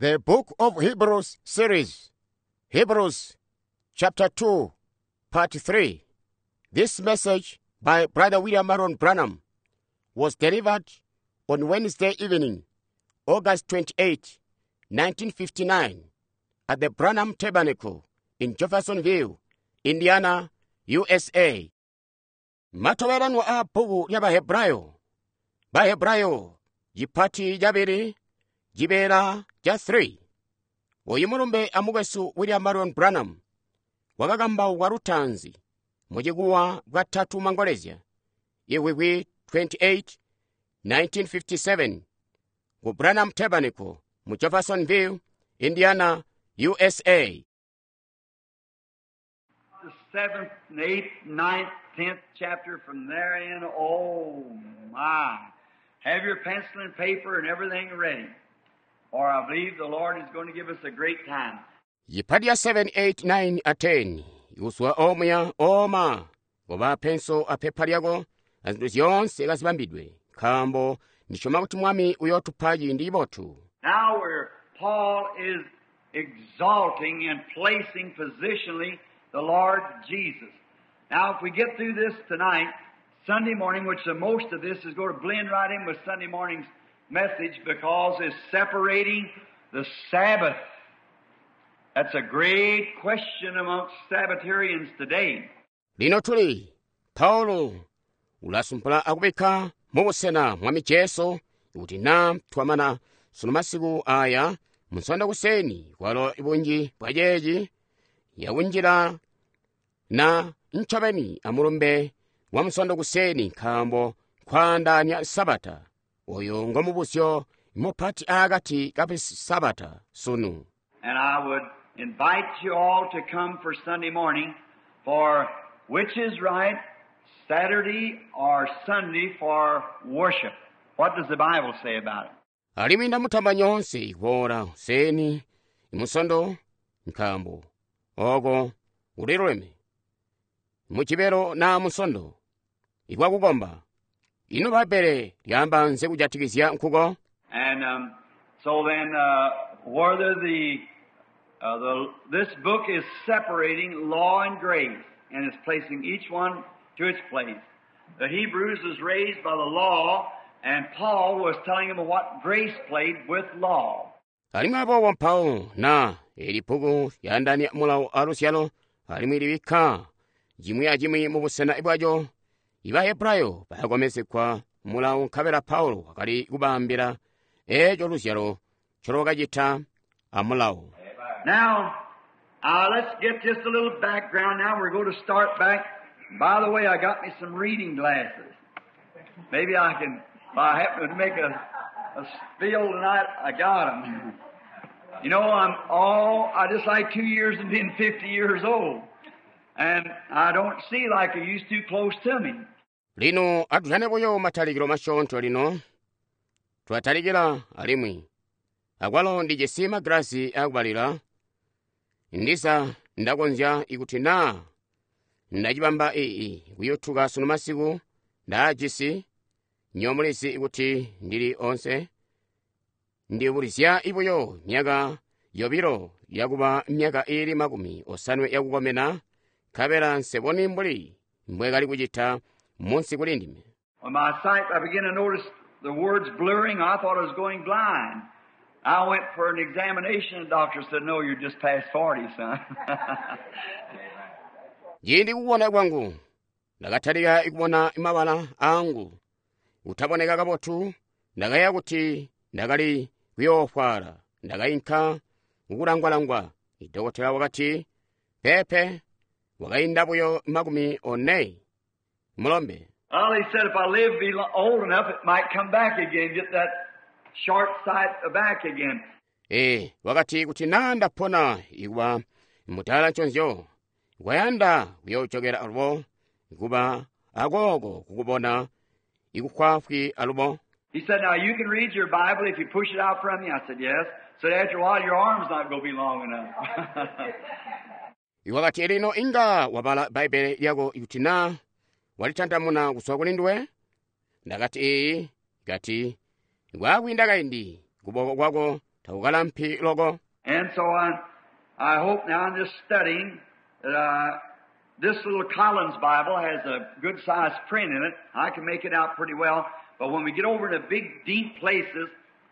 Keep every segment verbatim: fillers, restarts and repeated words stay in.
The Book of Hebrews series, Hebrews chapter two, part three. This message by Brother William Marrion Branham was delivered on Wednesday evening, August twenty-eighth, nineteen fifty-nine, at the Branham Tabernacle in Jeffersonville, Indiana, U S A. Matobelanwa a bbuku lya Bahebrayo, Bahebrayo cipati cabili, cibeela ca three. Oyu mulumbe amukwesu William Marrion Branham wakakambaukwa lutaanzi mucikuwa bwatatu mangolezya, Ivwivwi twenty-eight, nineteen fifty-seven, ku Branham Tabernacle mu Jeffersonville, Indiana, U S A. The seventh, eighth, ninth, tenth chapter from there in. Oh my. Have your pencil and paper and everything ready. For I believe the Lord is going to give us a great time. Yipati ya seven, eight, nine a ten ikuswa omuya oma koba penso apepa lyako na zinthu zyonse kazibambidwe, nkaambo ndisyoma kuti Mwami uyootupa ciindi cibotu. Now where Paul is exalting and placing positionally the Lord Jesus. Now if we get through this tonight, Sunday morning, which the most of this is going to blend right in with Sunday morning's message because it's separating the Sabbath. That's a great question amongst Sabbatarians today. Lino tuli Paulo ulasumpula akubikka mubusena Mwami Jesu kuti na twamana sunu masiku aya Munsondo kuseni, kwalo bunji bwa ceeci yakunjila na ncobeni amulumbe wa Munsondo kuseni, nkaambo nkwaandaanya Sabata. Oyo ngo mubuzyo mupati akati ka Sabata sunu. And I would invite you all to come for Sunday morning for which is right, Saturday or Sunday for worship. What does the Bible say about it? Alimwi ndamutamba nyoonse kuboola kuseni Imusondo, nkaambo oko uliluleme, Mujibelo na Musondo ikwakukomba. Ino Bbaibbele lyaamba nzi kujatikizya nkuko? And um, so then, uh, whether the, uh, the this book is separating law and grace, and is placing each one to its place. The Hebrews was raised by the law, and Paul was telling them what grace played with law. Alimwi aboobo mpawo na eli bbuku lyaandaanya mulawo aluzyalo, alimwi libikka cimwi acimwi mu busena bwaco. Ibahebrayo bakakomezegwa mulawo, nkabela Paulo wakali kubaambila eeco luzyalo ncolwakacita amulawo. Now, uh, let's get just a little background now. We're going to start back. By the way, I got me some reading glasses. Maybe I can, if I happen to make a, a spiel tonight, I got them. You know, I'm all, I just like two years and being fifty years old. And I don't see like I used to close to me. Lino atujane buyo matalikilo masyoonto. Lino twatalikila, alimwi akwalo ndijisi magilasi akubalila. Ndiza ndakonzya ikuti naa ndacibamba ii kuyutuka sunu masiku, ndaajisi. Nyomulizi kuti ndili onse ndibulizya buyo myaka yobilo yakuba myaka iili makumi osanwe yakukomena, nkabela nseboni mbuli mbwekali kucita munsi kuli ndime. When my sight, I began to notice the words blurring. I thought I was going blind. I went for an examination. The doctor said, "No, you're just past forty, son." Ciindi kubona kwangu ndakatalika kubona mabala angu kutaboneka kabotu, ndakayeeya kuti ndakali kuyoofwala. Ndakainka kukulangwalangwa, idokotela wakati, "Peepe, wakainda buyo makumi one, mulombe." Well, he said if I live be lo- old enough, it might come back again, get that short sight back again. Ee, wakati kuti naa ndapona ikuba mutala nconzyo, kwayanda kuyoocokela alubo kuba akooko kukubona ikufwaafwi alubo. He said, "Now you can read your Bible if you push it out from you." I said, "Yes." He said, "After a while, your arm's not going to be long enough." Wakati, "Lino inga wabala Bbaibele lyako ikuti naa walitandamuna kuzwa kuli nduwe." Ndakati, "Iyi." Kati, "Kwakwiinda kaindi kuboko kwako Takukalampi loko. And so I, I hope now in this studying that uh, this little Collins Bible has a good sized print in it. I can make it out pretty well. But when we get over to big, deep places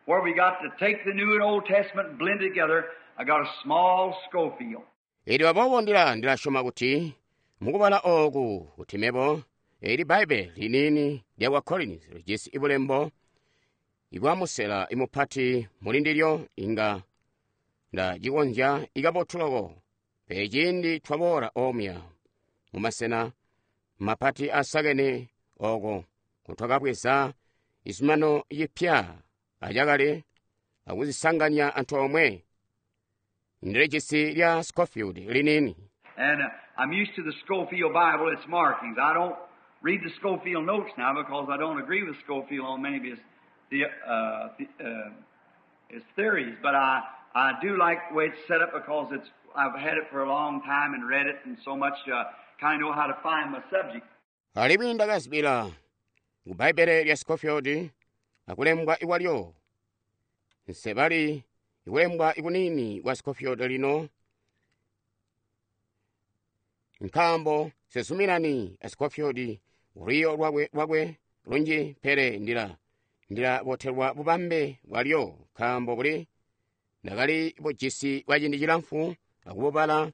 where we got to take the New and Old Testament and blend it together, I got a small Scofield. Elyo aboobo ndila ndilasyoma kuti mukubala ooku kuti mebo eli Bbaibbele liniini lya Collins lijisi bulembo ibwa musela imupati muli ndilyo inga ndacikonzya ikabotu loko. Pele ciindi twaboola omuya mumasena mapati asakene oko kutwakabweza izumano yipya acakale akuzisanganya antoomwe ndilijisi lya Scofield liniini. And uh, I'm used to the Scofield Bible, its markings. I don't read the Scofield notes now because I don't agree with Scofield on many of his, the, uh, the, uh, his theories. But I, I do like the way it's set up because it's, I've had it for a long time and read it and so much, uh, kind of know how to find my subject. Alimwi ndakazibila ku Bbaibbele lya Scofield akulembwa ikwalyo nsebali ikulembwa ikunini kwa Scofield lino nkaambo sezuminani a Scofield lwiyo lwakwe lwakwe lunji pele ndila ndilabotelwa bubambe bwalyo nkaambo buli ndakali bujisi bwa ciindi cilamfu akububala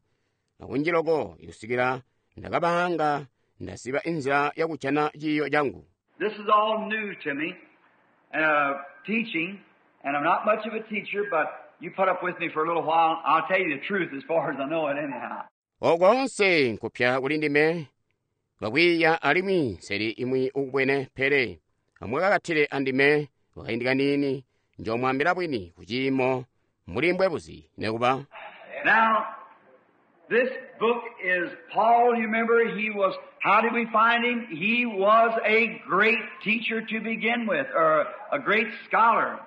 akunji loko ikusikila ndakabanga ndaziba inzila yakujana ciiyo cangu. This is all new to me, uh, teaching, and I'm not much of a teacher, but you put up with me for a little while. I'll tell you the truth as far as I know it anyhow. Okoonse nkupya kuli ndime kakwiiya alimwi nseli imwi ukubwene pele amwakakatile andime kwakaindi kaniini njomwaambila bwini kuciimo muli mbwebuzi nekuba. Now, this book is Paul, you remember, he was, how did we find him? He was a great teacher to begin with, or a great scholar.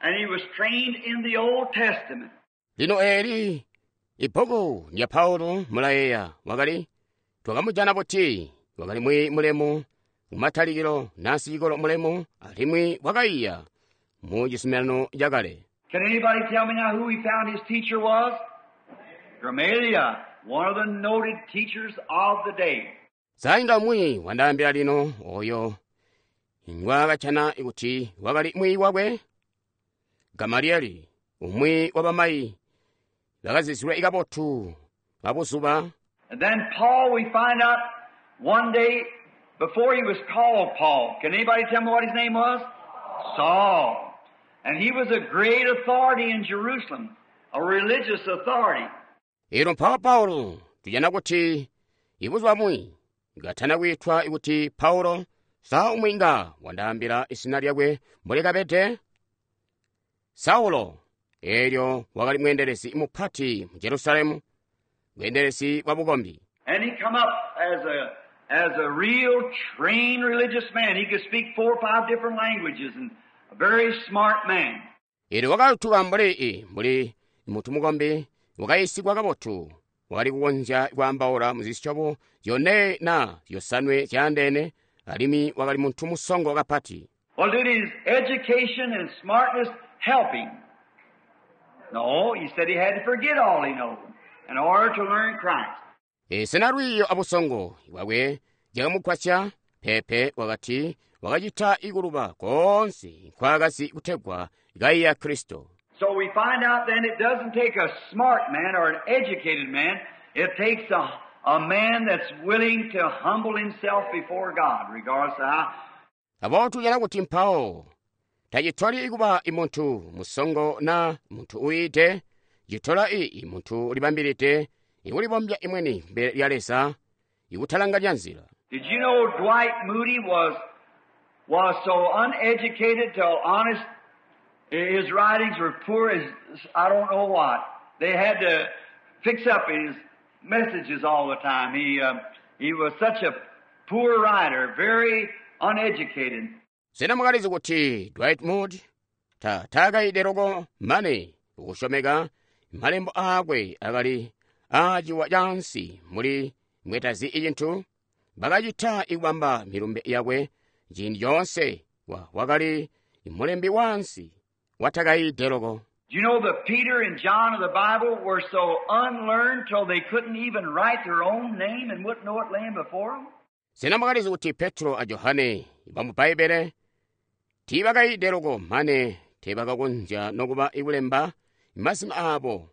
And he was trained in the Old Testament. Lino eli ibbuku lya Paulo mulayeeya wakali twakamujana buti wakali mwi mulemu kumatalikilo nasicikolo mulemu alimwi wakaiya mu cizuminano cakale. Can anybody tell me now who he found his teacher was? Gamaliel, one of the noted teachers of the day. Sainga mwi wandaambila lino oyo ngwakacana kuti wakali mwi wakwe Gamalieli umwi wa bamayi bakazizilwe ikabotu babuzuba. And then Paul, we find out one day before he was called Paul. Can anybody tell me what his name was? Saul. And he was a great authority in Jerusalem, a religious authority. Elo mpawo Paulo tujana kuti ibuzuba bumwi ngatana kwitwa kuti Paulo sa umwi nga wandaambila izina lyakwe mbuli kabede Saulo. Elyo wakali mweendelezi mupati mu Jerusalemu, mweendelezi wa bukombi. And he come up as a, as a real trained religious man. He could speak four or five different languages and a very smart man. Elyo wakatuka mbuli i mbuli mutu mukombi wakayisigwa kabotu wakali kukonzya kwaambaula muzisyobo zyone na zyosanwe zyaandeene alimwi wakali muntu musongo kapati. Well, did his education and smartness help him? No, he said he had to forget all he knew in order to learn Christ. E, sena lwiiyo abusongo bwakwe byakamugwasya? Peepe wakati wakacita ikuluba koonse nkwaakazi kutegwa kaiya Kristo. So we find out then it doesn't take a smart man or an educated man. It takes a, a man that's willing to humble himself before God, regardless of how. Aboobo tujana kuti mpawo tacitoli kuba imuntu musongo na muntu uyiite, citola i muntu ulibambilide ikulibombya imweni mbele lya Leza ikutalanganya nzila. Did you know Dwight Moody was, was so uneducated till honest, his writings were poor as I don't know what. They had to fix up his messages all the time. He, uh, he was such a poor writer, very uneducated. Sena mwakalizi kuti Dwight Moody ta taakaide loko mane ukusyomeka malembo akwe akali aaciwa cansi muli mwetazi icintu bakacita ikubamba milumbe yakwe ciindi coonse wa wakali mulembi wansi watakaide loko. Do you know that Peter and John of the Bible were so unlearned till they couldn't even write their own name and wouldn't know it laying before them? Sena mwakalizi kuti Petro a Johane bamu Bbaibbele tiibakayiide loko mane teebakakonzya nokuba ikulemba mazina aabo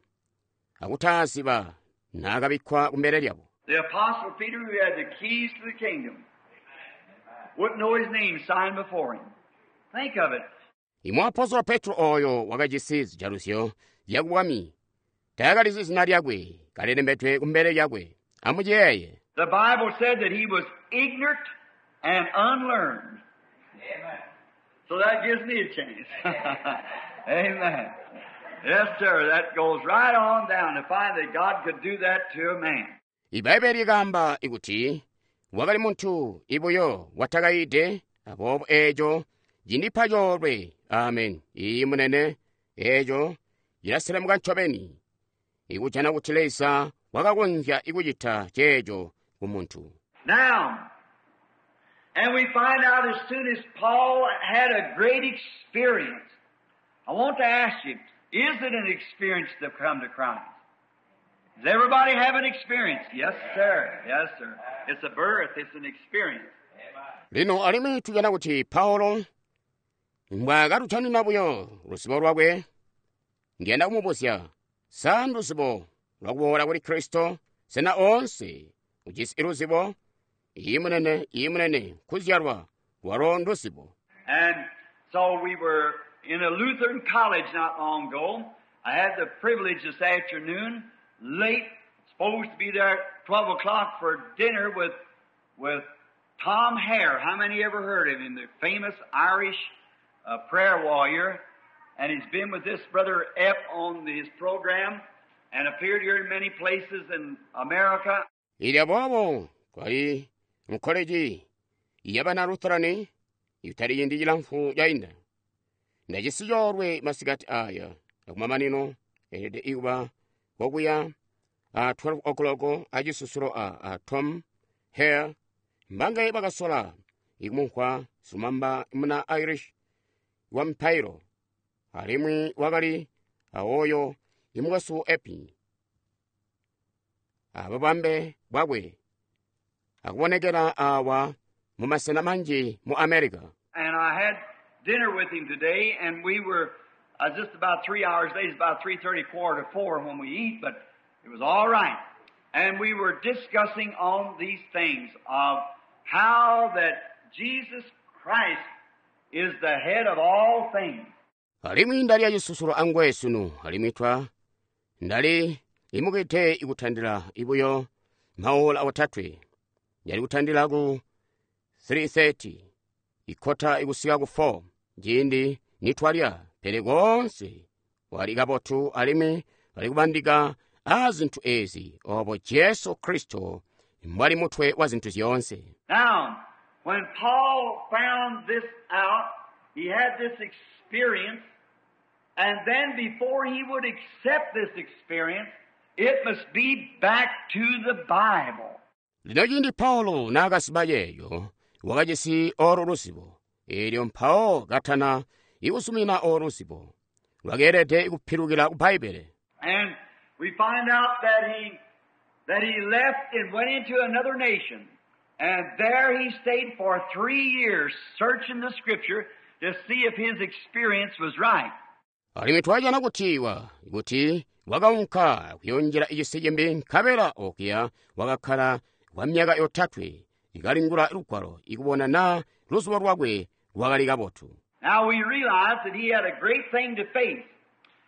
akutaaziba naakabikkwa kumbele lyabo. The Apostle Peter, who had the keys to the kingdom, wouldn't know his name signed before him. Think of it. Imwaapostolo Petro oyo wakajisi zijaluzyo zyakubwami taakalizi zina lyakwe kalilembedwe kumbele lyakwe. Amuciyeeye. The Bible said that he was ignorant and unlearned. Amen. So that gives me a chance. Amen. Yes, sir. That goes right on down to find that God could do that to a man. Ibaibbele likaamba ikuti wakali muntu ibuyo watakayiide, aboobo eeco cindipa coolwe. Amen. Iyi munene, eeco cilaselemuka ncobeni ikujana kuti Leza wakakonzya ikucita ceeco ku muntu. Now, and we find out as soon as Paul had a great experience. I want to ask you, is it an experience to come to Christ? Does everybody have an experience? Yes, sir. Yes, sir. It's a birth. It's an experience. Lino alimwi tujana kuti Paulo mbwaakatutanina buyo luzibo lwakwe, ndiyanda kumubuzya, sa nduzibo lwakuboola kuli Kristo? Sena oonse ujisi luzibo? Iyi munene, iyi munene, kuzyalwa lwalo nduzibo. And so we were in a Lutheran college not long ago. I had the privilege this afternoon, late, supposed to be there at twelve o'clock for dinner with, with Tom Hare. How many ever heard of him? The famous Irish, uh, prayer warrior. And he's been with this brother Epp on his program and appeared here in many places in America. Ili aboobo twali mu koleji yabana Lutherani itali yindi cilamfu cainda. Ndajisi coolwe masikati aya akumamanino elede ikuba kokuya a twelve o'clock acisusulo a, a Tom Hare mbangaye bakasola ikumumvwa sumamba muna Irish wa mpairo alimwi wakali awoyo imukwesu Epi ababambe bwakwe akubonekera awa mu masena manji mu America. And I had dinner with him today, and we were, uh, just about three hours late. It's about three thirty, quarter to four when we eat, but it was all right. And we were discussing on these things of how that Jesus Christ is the head of all things. Alimwi ndali acisusulo angwe sunu, alimwi twa ndali imukite ikutandila ibuyo maola otatwe. Ndali kutandila ku three thirty, ikota ikusika ku four, ciindi nitwalya, pele koonse wali kabotu alimwi bali kubandika a zintu ezi obo Jesu Kristo mbwali mutwe wa zintu zyoonse. Now, when Paul found this out, he had this experience, and then before he would accept this experience, it must be back to the Bible. Lino ciindi Paulo naakasiba yeeyo, wakajisi olo luzibo, eelyo mpawo katana ikusumina olo luzibo, lwakeelede kupilukila ku Bbaibbele. And we find out that he, that he left and went into another nation. And there he stayed for three years searching the Scripture to see if his experience was right. Alimwi twajana kuti wa, kuti wakaunka kuyonjera icisi cimbi nkabela okuya wakakkala kwa myaka yotatwe ikalingula lugwalo ikubona na luzubo lwakwe lwakali kabotu. Now we realize that he had a great thing to face.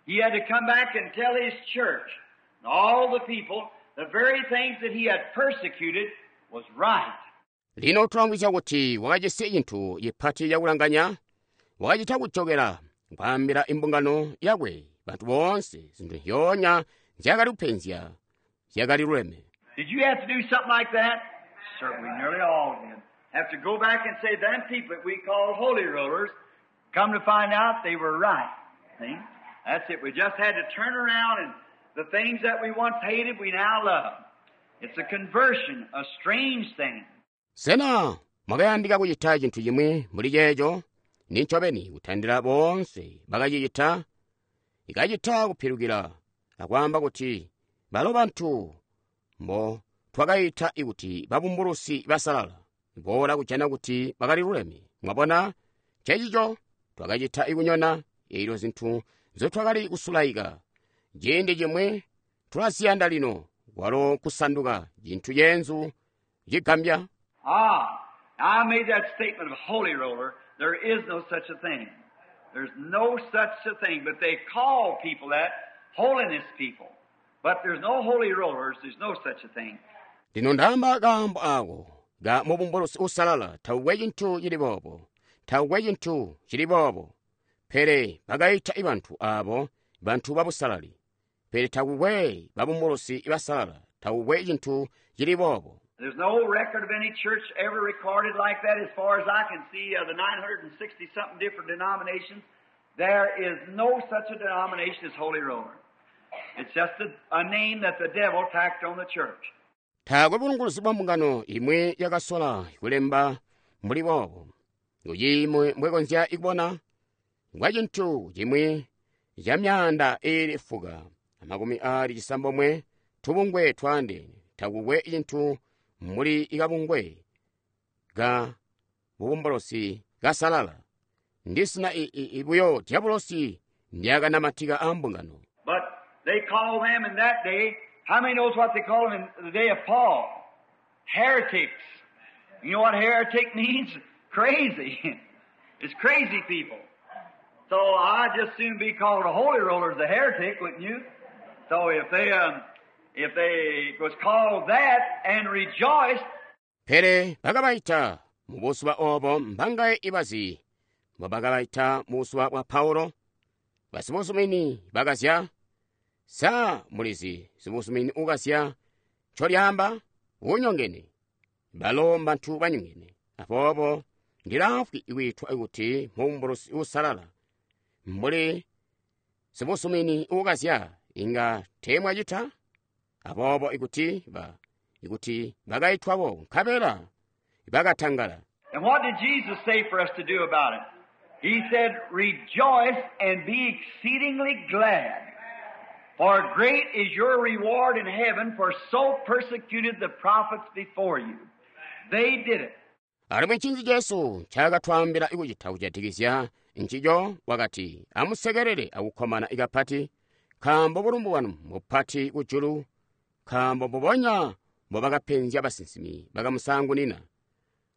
He had to come back and tell his church and all the people the very things that he had persecuted was right. Lino tulamvwisya kuti wakajisi cintu cipati cakulanganya, wakacita kujokera kwaambila imbungano yakwe bantu boonse zinthu zyoonya nzyakali kupenzya zyakali luleme. Did you have to do something like that? Certainly, nearly all did. Have to go back and say, them people that we call holy rollers, come to find out they were right. See? That's it. We just had to turn around, and the things that we once hated, we now love. It's a conversion, a strange thing. Sena mwakayandika kucita cintu cimwi mbuli ceeco? Ni ncobeni kutandila boonse bakacicita. Ikacita kupilukila akwaamba kuti balo bantu mbo twakaita kuti babumbulusi basalala boola kujana kuti bakali luleme. Mwabona, ncencico twakacita ikunyona eelyo zintu nzotwakali kusulaika ciindi cimwi tulaziyanda lino, kwalo kusanduka cintu ceenzu cigambya. Ah, I made that statement of holy roller. There is no such a thing. There's no such a thing, but they call people that holiness people. But there's no holy rollers. There's no such a thing. Lino ndaamba kaambo ako ka mubumbulusi usalala, taukwe cintu cili boobo, taukwe cintu cili boobo. Pele bakaita bantu abo bantu babusalali. Pele takukwe babumbulusi basalala, takukwe cintu cili boobo. There's no record of any church ever recorded like that as far as I can see of the nine hundred sixty something different denominations. There is no such a denomination as Holy Roller. It's just a, a name that the devil tacked on the church. Taakwe bulunguluzi bwa mbungano imwe yakasola kulemba mbuli boobo. Kuciimwe mbwekonzya ikubona ngwa cintu cimwi ca myaanda iili fuka amakumi aali cisambomwe tubungwe twaandeene. Takukwe cintu mbuli ikabungwe ka bubumbulusi kasalala. Ndisina ibuyo diabolosi ndyakanamatika a mbungano. But they call them in that day, how many knows what they call them in the day of Paul? Heretics. You know what heretic means? Crazy. It's crazy people. So I'd just soon be called a holy roller as a heretic, wouldn't you? So if they, um, if they was called that and rejoiced. Pele bakabaita mu buzuba obo mbangaye ibazi mbobakabaita mu buzuba bwa Paulo. Basibuzumini bakazya. Sa mulizi sibuzumini ukazya ncolyaamba unyongene. Balo mbantu banyongene. Aboobo ndilaafwi ikwiitwa kuti mubumbulusi usalala. Mbuli sibuzumini ukazya inga teemwacita. Aboobo ikuti ba ikuti bakaitwabo nkabela bakatangala. And what did Jesus say for us to do about it? He said, rejoice and be exceedingly glad, for great is your reward in heaven, for so persecuted the prophets before you. They did it. Alimwi ncinzi Jesu ncaakatwaambila kucita kujatikizya ncico? Wakati, amusekelele akukkomana ikapati, nkaambo bulumbu bwanu mupati kujulu, nkaambo mbubonya mbobakapenzya basinsimi bakamusaangunina.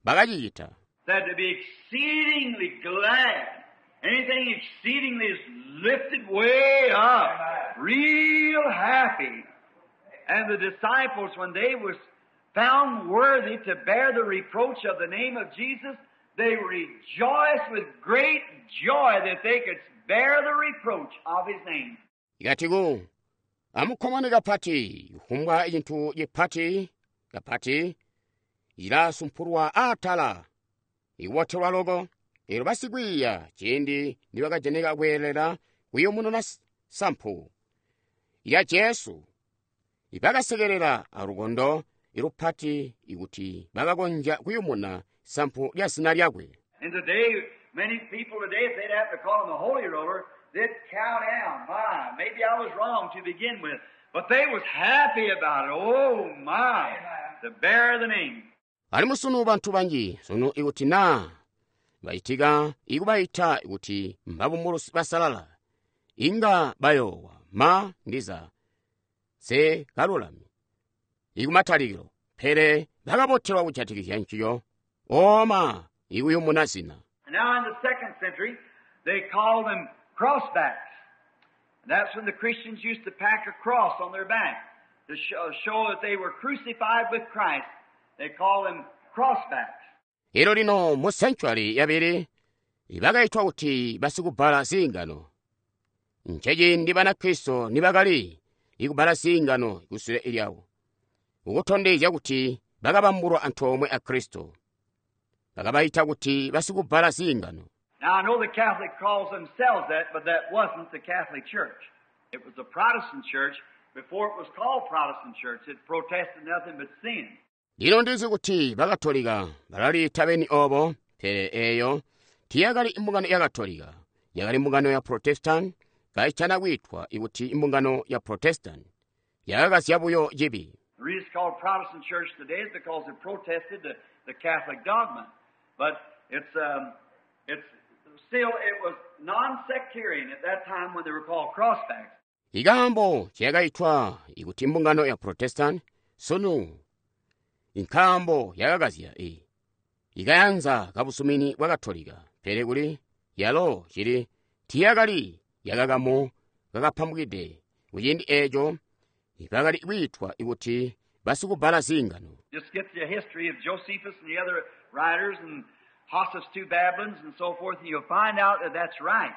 Bakacicita. That to be exceedingly glad. Anything exceedingly is lifted way up. Real happy. And the disciples, when they was found worthy to bear the reproach of the name of Jesus, they rejoiced with great joy that they could bear the reproach of His name. Ikatiku, amukkomane kapati, kufumbwa cintu cipati, kapati, ilasumpulwa atala, ikubotelwa loko. Elo basikwiiya ciindi nibakajanika kweelela kuyumununa sampu ya Jesu, ibakasekelela alukondo ilupati ikuti bakakonzya kuyumuna sampu lya zina lyakwe. And today, many people today, if they'd have to call him a holy roller, they'd cow down. My, maybe I was wrong to begin with. But they was happy about it. Oh, my, to bear the name. Alimwi sunu bantu banji, sunu ikuti naa bacitika ikubaita kuti mbabumbulusi basalala, inga bayoowa ma ndiza se kalulami ikumatalikilo, pele bakabotelwa kujatikizya nciyo oma ikuyumuna zina. Now in the second century, they called them crossbacks. And that's when the Christians used to pack a cross on their back to show that they were crucified with Christ. They called them crossbacks. Elo lino mu century yabili bakaitwa kuti basikubala zingano. Ncheciindi Banakristo nibakali ikubala zingano kusule ilyawo, ukutondezya kuti bakabambulwa antoomwe a Kristo. Bakabaita kuti basikubala zingano. Now I know the Catholic calls themselves that, but that wasn't the Catholic Church. It was the Protestant Church. Before it was called Protestant Church, it protested nothing but sin. Lino ndizi kuti Bakatolika balaliita beni obo, pele eyo tiyakali mbungano ya Katolika, yakali mbungano ya Protestant, kaitana kwiitwa ikuti imbungano ya Protestant yakakazya buyo cibi. The reason it's called Protestant Church today is because it protested the, the Catholic dogma. But it's, um, it's still, it was non-sectarian at that time when they were called crossbacks. Ikaambo ciyakaitwa ikuti imbungano ya Protestant sunu inkaambo yakakazya i ikayanza kabusumini bwa Katolika, pele kuli yalo cili tiyakali yakakamu kakapambukide kuciindi eeco bakali kwiitwa ikuti basikubala ziingano. Just get the history of Josephus and the other writers and Joseph's two Babylons and so forth, and you'll find out that that's right.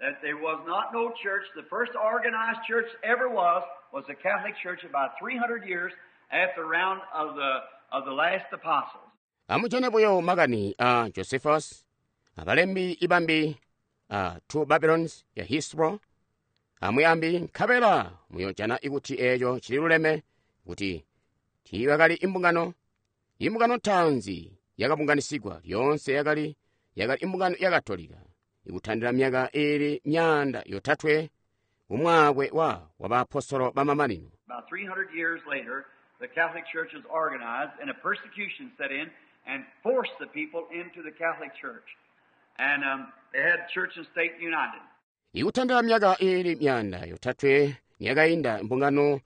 That there was not no church. The first organized church ever was, was the Catholic Church about three hundred years after the round of the, of the last apostles. Amujane buyo makani a Josephus, abalembi ibambi a two Babylons ya History, amuyambi nkabela muyojana ikuti eeco cililuleme kuti tiibakali imbungano. Imbungano ntaanzi yakabunganisigwa lyoonse yakali yakali imbungano ya Katolika ikutandila myaka iili myaanda yotatwe kumwaakwe wa wabaapostolo bamamanino. About three hundred years later, the Catholic Church was organized and a persecution set in and forced the people into the Catholic Church. And, um, they had church and state united. Ikutandila myaka iili myaanda yotatwe niyakainda imbungano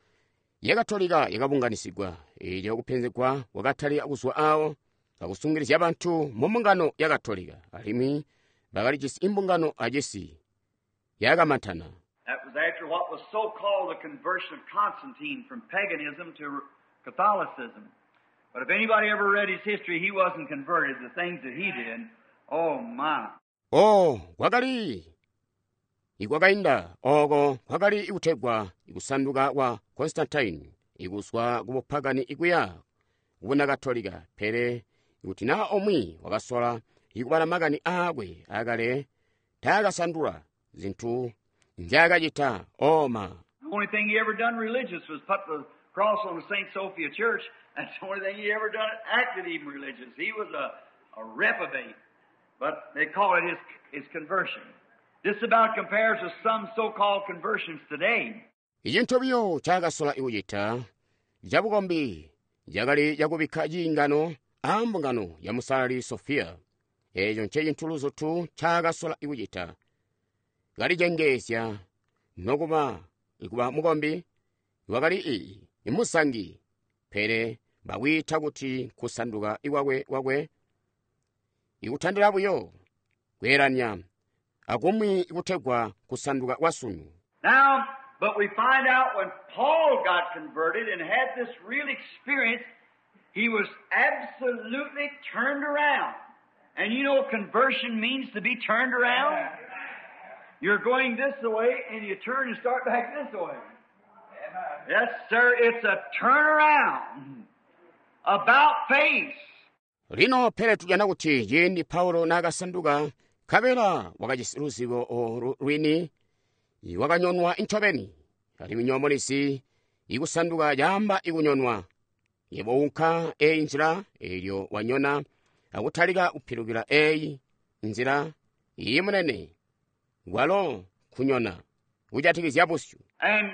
ya Katolika yakabunganisigwa eelyo kupenzegwa kwakatalika kuzwa awo kakusungilizya bantu mu mbungano ya Katolika alimwi bakalijisi imbungano acisi yakamantana. That was after what was so-called the conversion of Constantine from paganism to Catholicism. But if anybody ever read his history, he wasn't converted. The things that he did, oh my. Oh, kwakali ikwakainda oko kwakali ikutegwa ikusanduka kwa Constantine ikuswa kubupagani ikuya kubuna Katolika, pele ikuti na omwe wakasola ikubala makani aakwe akale taakasandula zinthu nzyaakacita oma. The only thing he ever done religious was put the cross on the Saint Sophia Church. That's the only thing he ever done acted even religious. He was a, a reprobate, but they call it his, his conversion. This about compares with some so-called conversions today. Icintu biyo cakasola ikucita cabukombi cakali cakubikka ciingano ambungano ya Musalali Sophia. Eeco ncecintu luzutu cakasola ikucita. Kalicengeezya nokuba ikuba mukombi wakali ii imusangi, pele bakwiita kuti kusanduka ikwakwe kwakwe ikutandila buyo kweelanya akumwi ikutegwa kusanduka kwa sunu. Now, but we find out when Paul got converted and had this real experience, he was absolutely turned around. And you know conversion means to be turned around? You're going this way and you turn and start back this way. Yes, sir, it's a turnaround. About face. Lino pele tujana kuti ciindi Paulo naakasanduka nkabela wakajisi luzibo olu lwini wakanyonwa incobeni. Alimwi nyoomolesi ikusanduka caamba ikunyonwa. Yebo unka eyi nzila eelyo wanyona akutalika kupilukila eyi nzila iyi munene walo kunyona kujatikizya busyu. And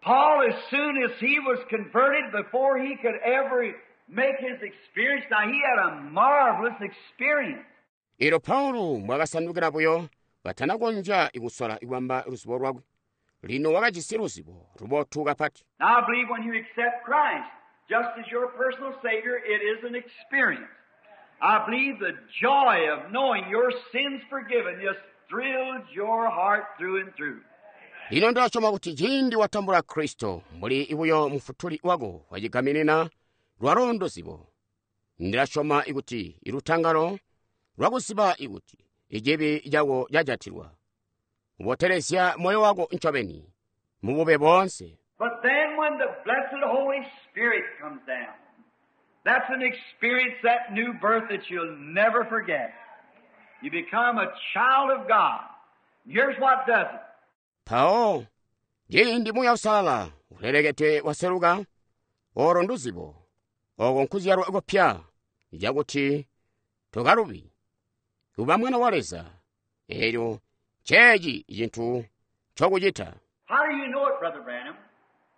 Paul, as soon as he was converted, before he could ever make his experience, now he had a marvelous experience. Ilo Paulo mwakasandukira buyo katanakonzya ikusola ikwamba luzibo lwakwe. Lino wakajisi luzibo lubotu kapati. Now I believe when you accept Christ, just as your personal Savior, it is an experience. I believe the joy of knowing your sins forgiven just thrills your heart through and through. Lino ndachoma kuti ciindi watambula Kristo mbuli ibuyo mufutuli wako wachigaminina lwalo nduzibo. Ndilashoma ikuti ilutangalo lwakuziba ikuti ichibi chako chajatilwa. Ubotelezya moyo wako ncobeni mubube bonse. But then when the blessed Holy Spirit comes down, that's an experience, that new birth that you'll never forget. You become a child of God. Here's what does it. Pao, ciindi Muuya Uusalala ulelekete waseluka, olo nduzibo, oko nkuzyalwa kupya, cakuti tokalubi, kuba mwana wa Leza, eelyo Nceeci cintu ncokucita. How do you know it, Brother Branham?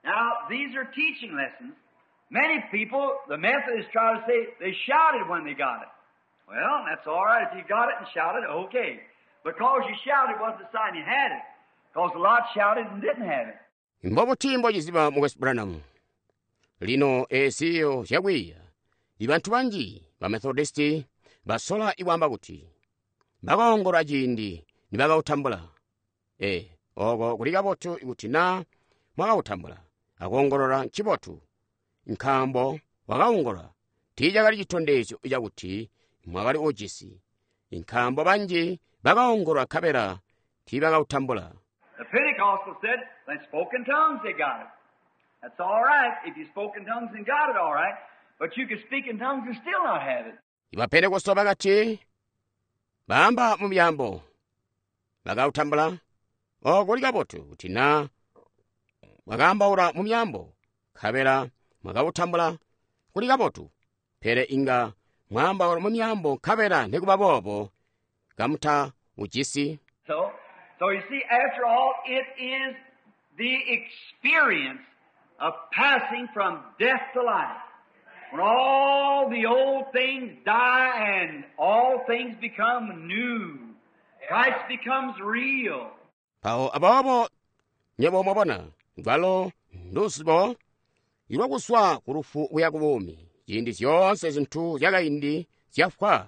Now, these are teaching lessons. Many people, the Methodists try to say they shouted when they got it. Well, that's all right. If you got it and shouted, okay. Because you shouted wasn't a sign you had it. Because a lot shouted and didn't have it. Mbobuti mbociziba Mukwesu Branham? Lino eziyo zyakwiiya. Ibantu banji ba Methodisti basola ikwaamba kuti bakaongolola ciindi nibakautambula. E, oko kuli kabotu ikuti na mwakautambula. Akoongolola ncibotu. Nkaambo wakaongolola tiicakali citondezyo cakuti mwakali ujisi. Nkaambo banji bakaongolola nkabela tiibakautambula. The Pentecostals said they spoke in tongues, they got it. That's all right. If you spoke in tongues and got it, all right. But you could speak in tongues and still not have it. Ibapentekosto bakati baamba mu myaambo bakautambula. Oko kuli kabotu kuti na mwakaambaula mu myaambo nkabela mwakautambula kuli kabotu. Pele inga mwaambaula mu myaambo nkabela nikuba boobo kamuta ujisi. So, so you see, after all, it is the experience of passing from death to life. When all the old things die and all things become new. Christ becomes real. Mpawo aboobo nywebo mwabona lwalo nduzibo ilwakuswa ku lufu kuya ku buumi. Ciindi zyoonse zintu zyakaindi zyafwa,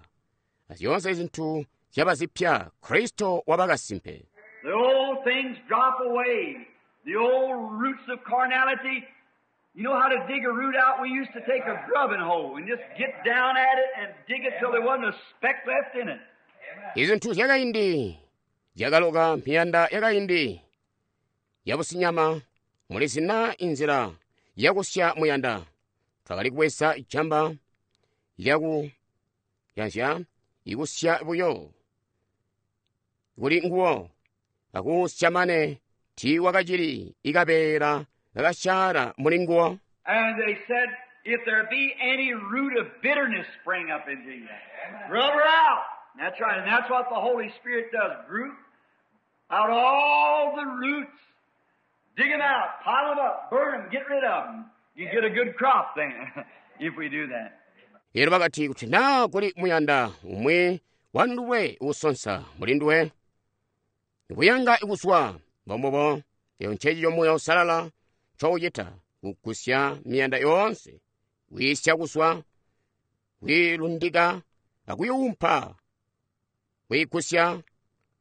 zyoonse zintu zyaba zipya, Kristo waba kasimpe. The old things drop away. The old roots of carnality. You know how to dig a root out? We used to take a grubbing hoe and just get down at it and dig it till there wasn't a speck left in it. Izintu zyakaindi zyakaloka miyanda yakaindi yabusinyama mulizina inzila yakusya muyanda. Twakali kubweza ijamba lyaku yanzya ikusya buyo kuli nguwo akusya mane tiiwakacili ikabeela kakasyaala muli nguwo. And they said, if there be any root of bitterness spring up into you, rub her out. That's right, and that's what the Holy Spirit does. Root out all the roots. Dig them out, pile them up, burn them, get rid of them. You get a good crop then, if we do that. Elo bakati kuti naa kuli muyanda umwi wanduwe uusonsa muli nduwe kuyanga ikuswa mbombubo eyo ncecico Muuya Uusalala ncoucita kugusya miyanda yoonse kwiisya kuswa kwiilundika akuyuumpa kwiigusya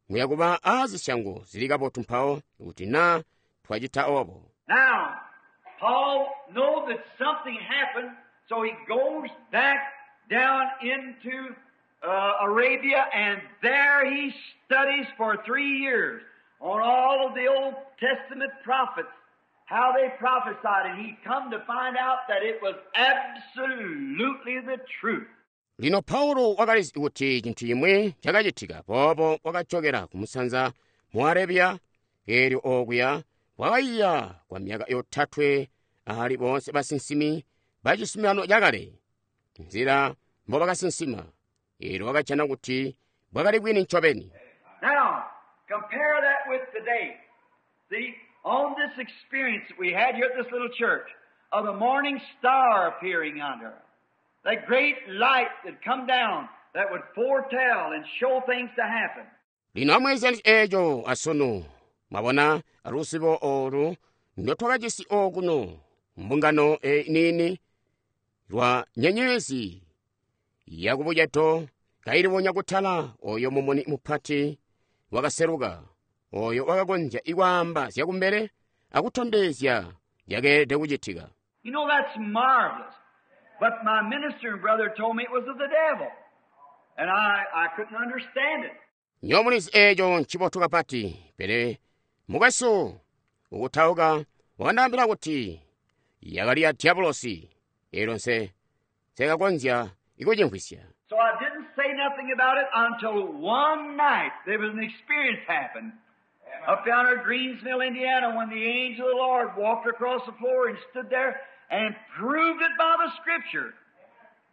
muyakuba aazisyango zili kabotu mpawo kuti naa twacita obo. Now, Paul knows that something happened, so he goes back down into, uh, Arabia, and there he studies for three years on all of the Old Testament prophets, how they prophesied, and he come to find out that it was absolutely the truth. Lino Paulo wakalizi kuti cintu cimwi cakacitika boobo wakajokera kumusanza mu Arabia, eelyo okuya wakaiya kwa myaka yotatwe ali boonse basinsimi ba cizuminano cakale nzila mbobakasinsima, eelyo wakajana kuti bwakali bwini ncobeni. Now, compare that with today. See, on this experience that we had here at this little church of the morning star appearing under, that great light that come down that would foretell and show things to happen. Lino amweezya eeco asunu mwabona luzibo olu ndotwakajisi okuno mbungano eniini lwa nyenyezi yakubucedo kailibonya kutala oyo mumuni mupati wakaseluka oyo wakakonzya ikwaamba zyakumbele akutondezya zyakeelede kucitika. You know, that's marvelous. But my minister and brother told me it was of the devil. And I, I couldn't understand it. Nyomulizi eeco ncibotu kapati, pele mukwesu ukutauka wakandaambila kuti yakali ya diabolosi, eelyo nse nseekakonzya ikucimvwisya. So I didn't say nothing about it until one night there was an experience happened. Up down at Greensville, Indiana, when the angel of the Lord walked across the floor and stood there and proved it by the Scripture.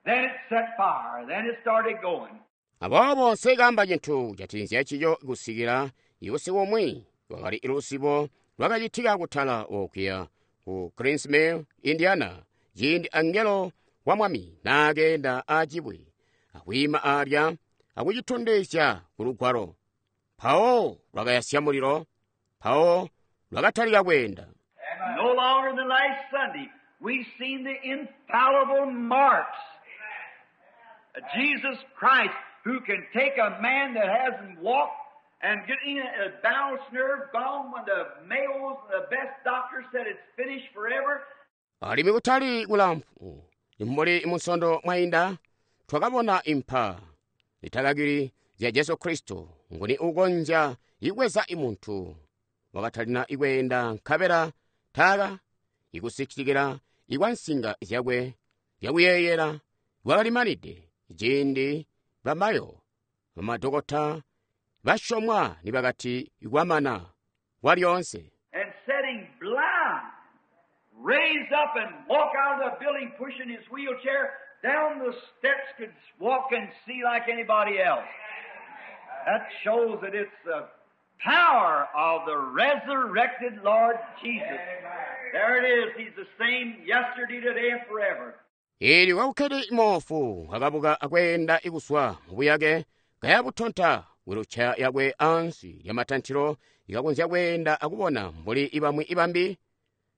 Then it set fire. Then it started going. Aboobo nseekaamba cintu catinzya cico kusikila Usiku umwi kwakali luzibo lwakacitika kutala okuya ku Green's Mill, Indiana, ciindi angelo wa Mwami naakeenda aacibwe akwiima alya akucitondezya ku lugwalo. Mpawo lwakayasya mulilo, mpawo lwakatalika kweenda. No longer than last Sunday, we've seen the infallible marks of Jesus Christ, who can take a man that hasn't walked and get in a balanced nerve gone when the Mayos and the best doctor said it's finished forever. Alimwi kutali kulamfu mbuli musondo mwainda twakabona impa zitakakili zya Jesu Kristo nguni ukonzya ikweza imuntu wakatalina ikweenda nkabela taka ikusitikila ikwa nsinga zyakwe zyakuyeeyela kwakalimanide ciindi bamayo bamadokota basyomwa nibakati kwamana kwalyoonse. And setting blind, raised up and walk out of the building pushing his wheelchair down the steps, could walk and see like anybody else. That shows that it's the power of the resurrected Lord Jesus. There it is. He's the same yesterday, today, and forever. Ili kwakukhele imofu akabuka akweenda ikuswa mubuyake kayabutonta wilucha yakwe ansi ya matanthilo ikakonzya kweenda akubona mbuli ibamwi ibambi.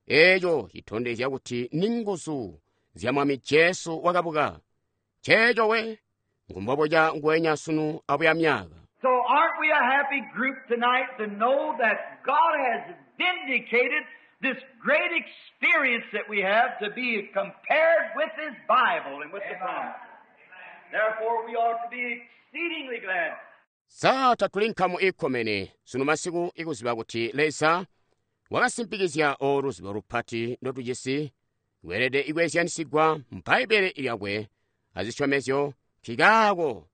Eeco citondezya kuti ni nguzu zya Mwami Jesu wakabuka. Nceeco we ngumboboca nguwenya sunu abuya myaka. So aren't we a happy group tonight to know that God has vindicated this great experience that we have to be compared with His Bible and with the promise. Therefore we ought to be exceedingly glad. Sa tatuli nkamu ikkomene sunu masiku ikuziba kuti Leza wakasimpikizya oluzibo lupati ndotujisi lweelede ikwezyanisigwa mu Bbaibbele lyakwe azisyomezyo nkikaako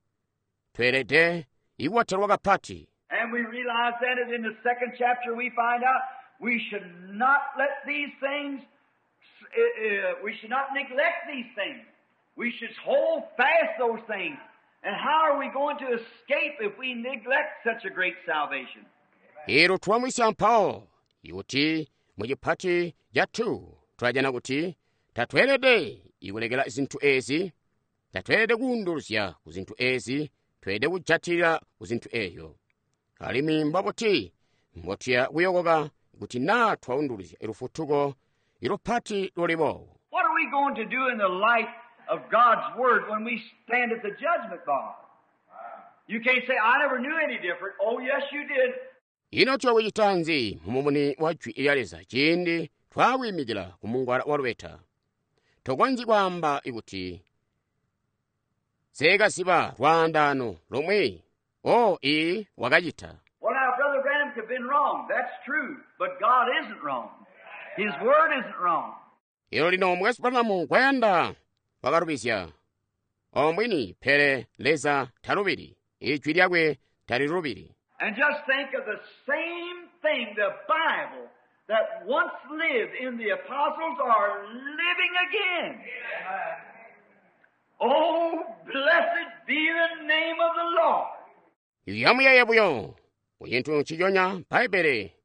tweelede ikubotelwa kapati. And we realize that in the second chapter we find out we should not let these things, uh, uh, we should not neglect these things. We should hold fast those things. And how are we going to escape if we neglect such a great salvation? Ilo twamwisya mpawo ikuti mucipati ca two twajana kuti tatweelede ikulekela zinthu ezi, tatweelede kuunduluzya ku zinthu ezi, tweelede kujatilira ku zinthu eyo. Alimwi mbabuti mbotuya kuyokoka kuti naa twaunduluzya lufutuko ilupati lulibo. What are we going to do in the light of God's Word when we stand at the judgment bar? You can't say, I never knew any different. Oh, yes, you did. Ino tuyakucita nzi mumumuni wa jwi lya Leza ciindi twakwiimikila ku mungwala wa lubeta? Tokonzyi kwaamba kuti seekaziba lwaandaano lomwe o ii wakacita. Well, now, Brother Branham could have been wrong. That's true. But God isn't wrong. His Word isn't wrong. Ilo lino Mukwesu Branham kwayanda wakalubizya. Omwini pele Leza talubili. Ijwi lyakwe talilubili. And just think of the same thing, the Bible, that once lived in the apostles are living again. Oh, blessed be the name of the Lord. Yamuyeeye buyo kucinthu nciconya Bbaibbele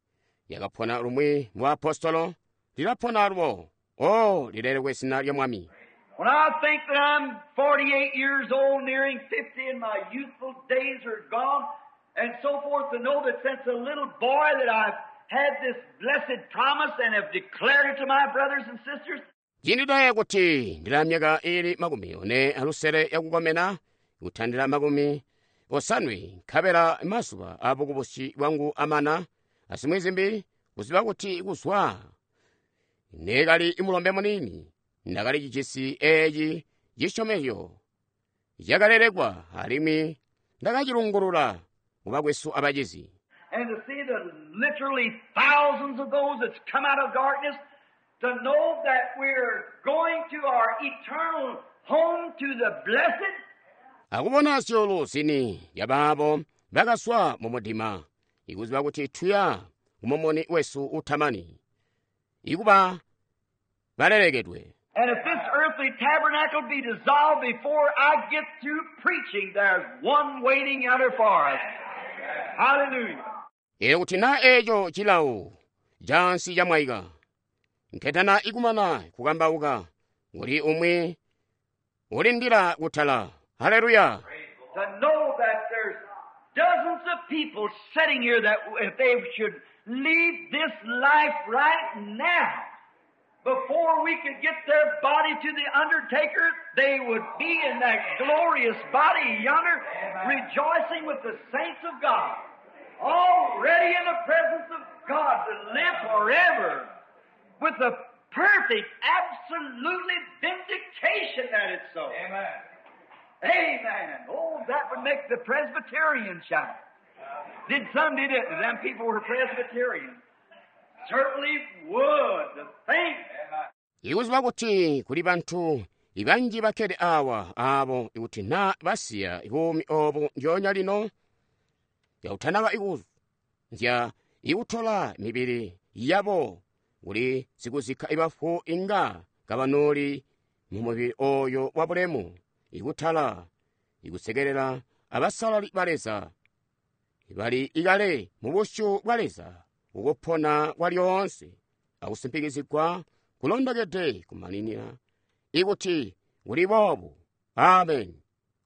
yakapona lumwi mu apostolo lilapona lwo. Oh, lilelekwe zina lya Mwami. When I think that I'm forty-eight years old, nearing fifty, and my youthful days are gone, and so forth, to know that since a little boy that I've had this blessed promise and have declared it to my brothers and sisters. Ciindi ndayeeya kuti ndila myaka ili makumi one alusele yakukomena, kutandila makumi osanwe, nkabela mazuba abukubusi bwangu amana, asimwi zimbi, kuziba kuti kuzwa nekali imulombe munini, ndakali cijisi eeci cisyomezyo cakalelekwa alimwi ndakacilungulula kubakwesu abacizi. And to see the literally thousands of those that's come out of darkness, to know that we're going to our eternal home to the blessed. Akubona zyulu zini yabaabo bakaswa mu mudima, ikuziba kuti tuya kumumuni wesu utamani, ikuba balelekedwe. And if this earthly tabernacle be dissolved before I get through preaching, there's one waiting out there for us. Hallelujah. Elyo kuti naa eco cilawo cansi camwaika, nketana ikumana kukambauka, kuli umwi ulindila kutala. Haleluya! To know that there's dozens of people sitting here that if they should leave this life right now, before we could get their body to the undertaker, they would be in that glorious body yonder, rejoicing with the saints of God, already in the presence of God to live forever with the perfect, absolutely vindication that it's so. Amen. Amen. Oh, that would make the Presbyterian shout. Did some, did it? Them people were Presbyterian. Certainly would. To think. Ikuziba kuti kuli bantu ibanji bakkede awa abo ikuti naa basiya buumi obu ndyoonya lino yakutanaba ikunzya ikutola mibili yabo kuli sikuzikka ibafu inga kabanoli mu mubili oyo wa bulemu ikutala ikusekelela abasalali ba Leza bali ikale mu busyu bwa Leza ukupona kwa lyoonse akusimpikizigwa kulondokede kumaninira ikuti kuli boobu. Amen.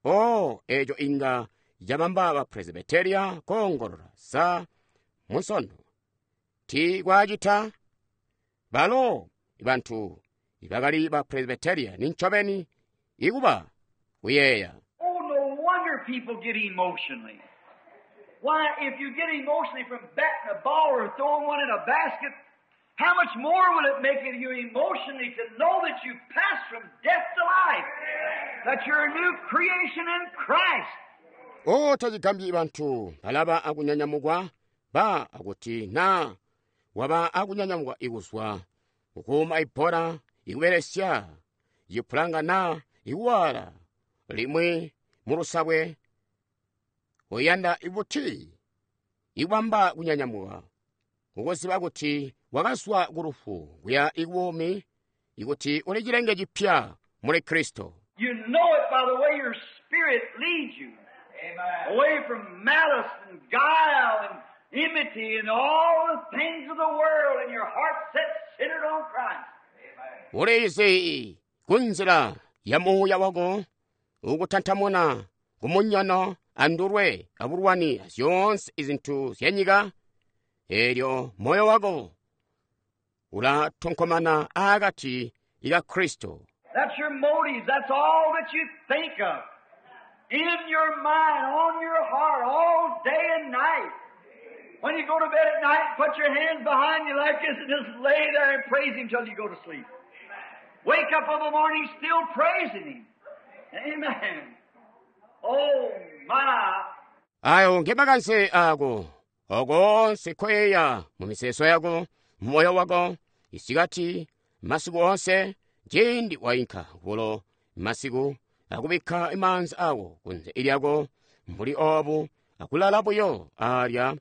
O eco inga cabamba ba Presbyteria koongolola sa munsondo ti kwacita balo bantu ibakali ba Presbyteria nincobeni ikuba kuyeeya. Oh, no wonder people get emotionally. Why, if you get emotionally from batting a ball or throwing one in a basket, how much more will it make it you emotionally to know that you've passed from death to life, that you're a new creation in Christ? O tacigambyi bantu balaba akunyanyamukwa ba akuti na waba akunyanyamukwa ikuzwa kukuuma ibhola ikubelesya ipulanga na ikuwala limwi mulusabwe uyanda ibuti ikwamba kunyanyamuka ukuziba kuti wakazwa ku lufu kuya ikubuumi ikuti uli cilenge cipya muli Kristo. You know it by the way your spirit leads you. Amen. Away from malice and guile and enmity and all the things of the world, and your heart set centered on Christ. Amen. Ulizi kunzila ya muuya wako ukutantamuna kumunyono andulwe abulwani zyoonse izintu zyanyika, elyo moyo wako ulatonkomana akati ka Kristo. That's your motives. That's all that you think of. In your mind, on your heart, all day and night. When you go to bed at night, put your hands behind you like this and just lay there and praise Him till you go to sleep. Wake up in the morning still praising Him. Amen. Oh, my. Ayo ngemakanse ako okonse koyeya mu miseso yako moyo wako isikati masiku onse ciindi wainka kulo masiku akubikka imaanza ako kunze ilyako mbuli obu akulala buyo alya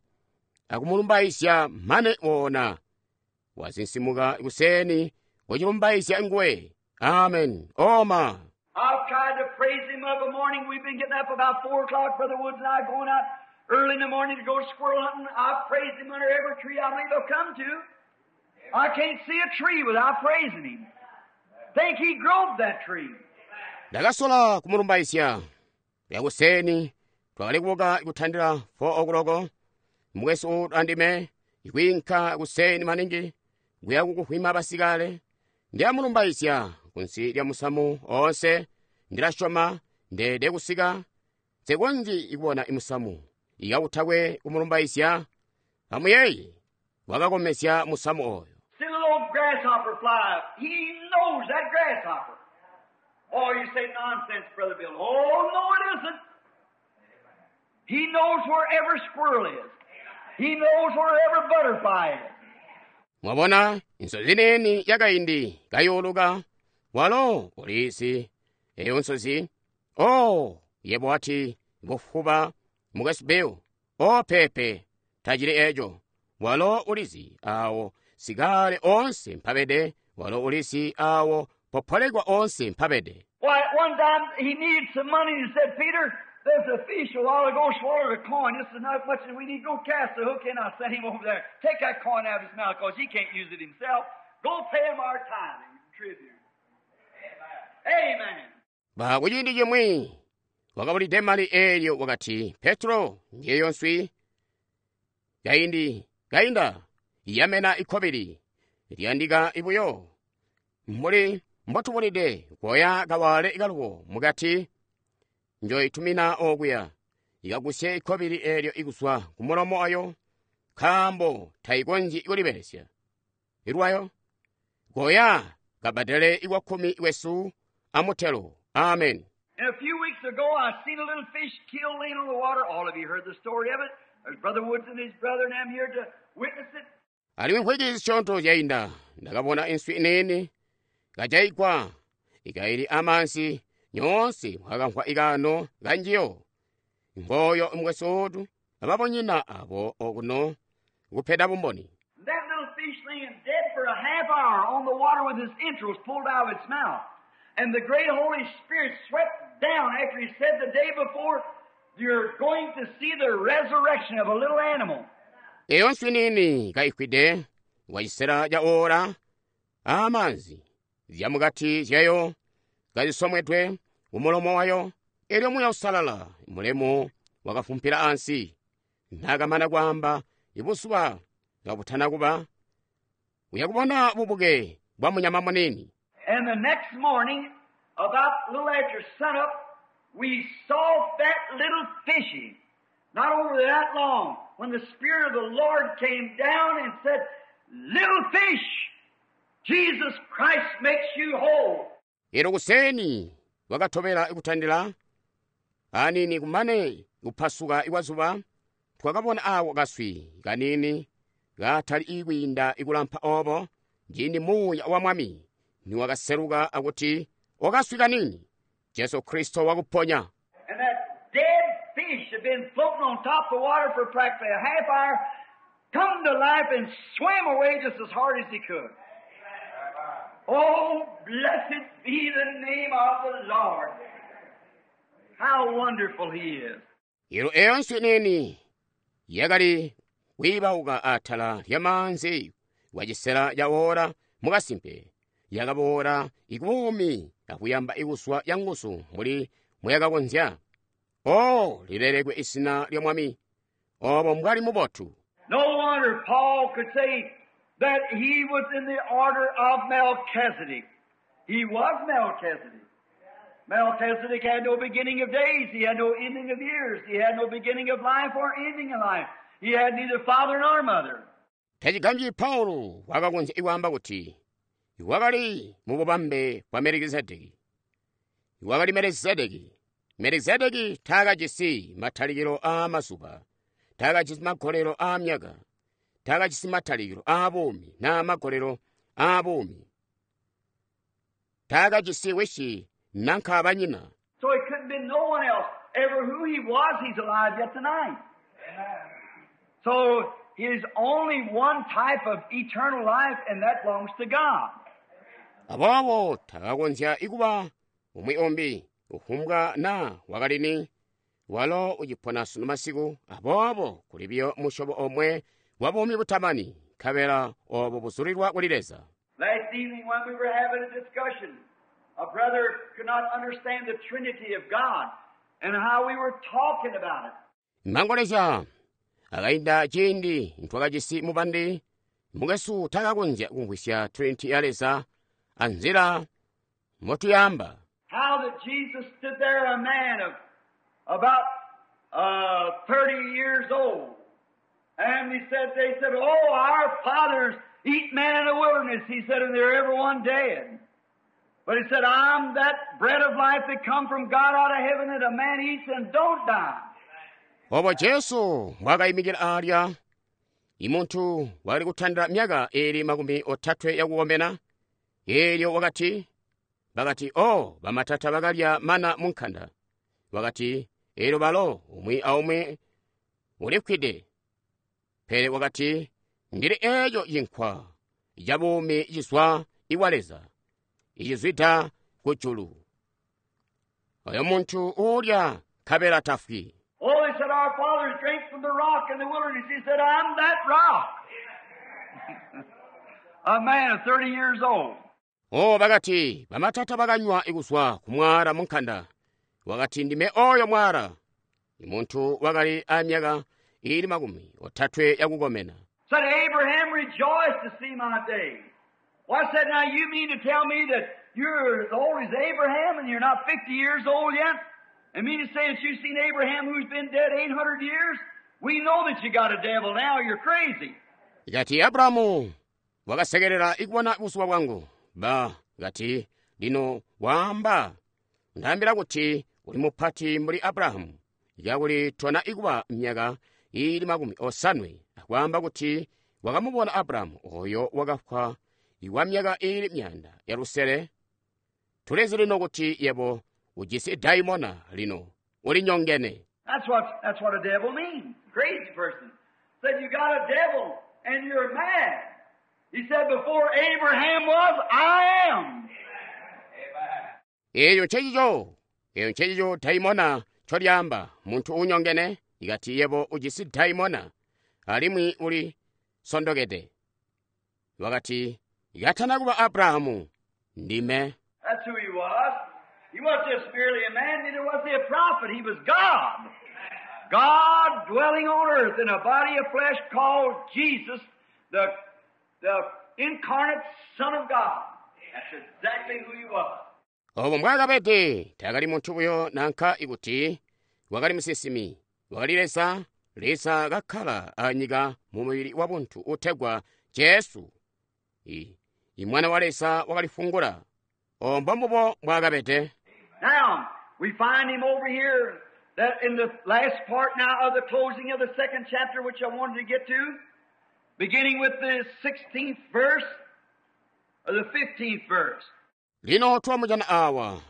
akumulumbaizya mane wona wazinsimuka kuseni kuchilumbaizya nguwe. Amen. Oma. I've tried to praise Him of a morning. We've been getting up about four o'clock, Brother Woods and I going out early in the morning to go squirrel hunting. I've praised Him under every tree I believe I've come to. I can't see a tree without praising Him. Think He growed that tree. Ndakasola kumulumbaizya yakuseni twakali kubuka kutandila four o'clock mukwesu utu andime ikwinka kuseni maningi kuya kukuhwima basikale ndiyamulumbaizya kunsi lya musamu onse ndilasyoma ndede kusika nsekonzyi ikubona imusamu ikakutakwe kumulumbaizya amuyeeye wakakomezya musamu oyo. See the little grasshopper fly. He knows that grasshopper. Oh, you say nonsense, Brother Bill. Oh, no, it isn't. He knows where every squirrel is. He knows where every butterfly is. Mwabona insozi neni yakaindi kayuluka walo ulizi eyo nsozi. Oh, yebo ati bufuba mukwesu Bill. Oh, pepe tacili eco walo ulizi awo sikale onse mpabede walo ulizi awo popolekwa onse mpabede. Why, at one time he needed some money and he said, Peter, There's a fish a while ago swallowed a coin. This is not much as we need. Go cast the hook in. I'll send him over there. Take that coin out of his mouth because he can't use it himself. Go pay him our tithing and tribute. Amen. Ba kuciindi cimwi wakabulide mali eelyo wakati Petro ngeyo nswi kaindi kainda yamena ikkobili liyandika ibuyo mbuli mbotubulide koya kawale kaluwo mukati njoyitumina okuya ikagusye ikkobili eelyo ikuzwa ku mulomo wayo nkaambo tayikonzyi kulibelesya ilwayo koya kabadele ikwakkumi kwesu amutelo amen. And a few weeks ago, I seen a little fish killed laying on the water. All of you heard the story of it. There's Brother Woods and his brother, and I'm here to witness it. Alimwi mphwiki zisyoonto zyayinda ndakabona inswi inene kajayigwa ikayili amansi nyoonse mwakamvwa ikano kanjiyo ngoyo mukwesu ababonyina abo okuno kupeda bumboni. And that little fish laying dead for a half hour on the water with his entrails pulled out of its mouth. And the great Holy Spirit swept down after he said the day before, you're going to see the resurrection of a little animal. Eyo nswi nini kayifwide wacisela ca ora amanzi zyamukati zyayo kazisomwedwe kumulomo wayo elyo Muuya Uusalala mulemu wakafumpila ansi nakamana kwaamba ibuzuba kabutana kuba uyakubona bubuke bwa munyama munini. And the next morning, about a little after sunup, we saw that little fishy, not over that long, when the Spirit of the Lord came down and said, Little fish, Jesus Christ makes you whole. Ero kuseni wakatobela ikutandila anini kumane kuphasuka ikwazuba twakabona awo kaswi kanini katali ikwiinda ikulampa obo njindi Muuya wa Mwami niwakaseluka akuti okaswi kanini Jesu Kristo wakuponya. And that dead fish had been floating on top of the water for practically a half hour, come to life and swam away just as hard as he could. Oh, blessed be the name of the Lord. How wonderful he is. Ero eyo nswi nini yakali kwiibauka atala lya manzi wacisela ca ora mukasimpe yakaboola ikubuumi akuyamba ikuswa ya nguzu muli muyakakonzya. O lilelekwe isina lya Mwami obo mbwali mubotu. No wonder Paul could say that he was in the order of Melchizedek. He was Melchizedek. Melchizedek had no beginning of days. He had no ending of years. He had no beginning of life or ending of life. He had neither father nor mother. Tacigambyi Paulo wakakonzya ikwaamba kuti wakali mu bubambe bwa Melekizedeki. Wakali Melekizedeki. Melekizedeki taakajisi matalikilo aa mazuba, taakajisi magolelo aa myaka, taakajisi matalikilo aa buumi naa magolelo aa buumi. Taakajisi wisi nanka banyina. So he couldn't be no one else. Ever who he was, he's alive yet tonight. So he's only one type of eternal life, and that belongs to God. Aboobo takakonzya ikuba umwi umbi ufumbwa na wakalini walo ucipona sunu masiku. Aboobo kuli biyo musyobo omwe wa buumi butamani nkabela obo buzulilwa kuli Leza. Last evening when we were having a discussion, a brother could not understand the Trinity of God and how we were talking about it. Mangolezya akainda ciindi ntwakajisi mubandi mukwesu takakonzya kumvwisya Trinity ya Leza anzila motuyamba. How that Jesus stood there, a man of about, uh, thirty years old. And he said, they said, oh, our fathers eat man in the wilderness. He said, and they're everyone dead. But he said, I'm that bread of life that come from God out of heaven that a man eats and don't die. Obo Jesu mwakayimikira alya imuntu wali kutandila myaka ili makumi otatwe yakukomena elyo wakati bakati o bamatata bakalya mana munkanda wakati elyo balo umwi aumwi ulifwide pele wakati ndili eyo yinkwa yabuumi cizwa iwa Leza icizwida kujulu oyo muntu ulya nkabela tafwi. Oh, they said, our fathers drank from the rock in the wilderness. He said, I'm that rock. A man of thirty years old. O bakati, bamatata bakanywa ikuzwa ku mwala mu nkanda. Wakati ndime oyo mwala. Muntu wakali a myaka ili makumi otatwe yakukomena. Said Abraham rejoiced to see my day. Well, I said, now you mean to tell me that you're as old as Abraham and you're not fifty years old yet? And mean to say that you've seen Abraham who's been dead eight hundred years? We know that you got a devil now. You're crazy. Kati Abrahamu wakasekerera ikubona buzuba bwangu. Ba kati lino waamba ndaambila kuti uli mupati mbuli Abrahamu. Yakuli tona ikuba myaka ili makumi osanwe. Akwaamba kuti wakamubona Abrahamu oyo wakafwa iwa myaka ili myanda ya lusele. Tulezi lino kuti yebo ujisi daimona lino uli nyongene. That's what, that's what a devil means. Crazy person. Said you got a devil and you're mad. He said before Abraham was, I am. Eyo ncencico, eyo ncencico daimona ncolyamba muntu unyongene ikati yebo ujisi daimona alimwi uli sondokede. Wakati ikatana kuba Abrahamu ndime. That's who he was. He wasn't just merely a man, neither was he a prophet. He was God. God dwelling on earth in a body of flesh called Jesus, the, the incarnate Son of God. That's exactly who he was. Obo mbwakabede takali muntu buyo nanka ikuti wakali musinsimi, wakali Leza, Leza kakkala anyika mu mubili wa buntu utegwa Jesu. I, i mwana wa Leza wakalifungula. Obo mbombubo mbwakabede. Now, we find him over here that in the last part now of the closing of the second chapter, which I wanted to get to, beginning with the sixteenth verse or the fifteenth verse. Lino twamujana awa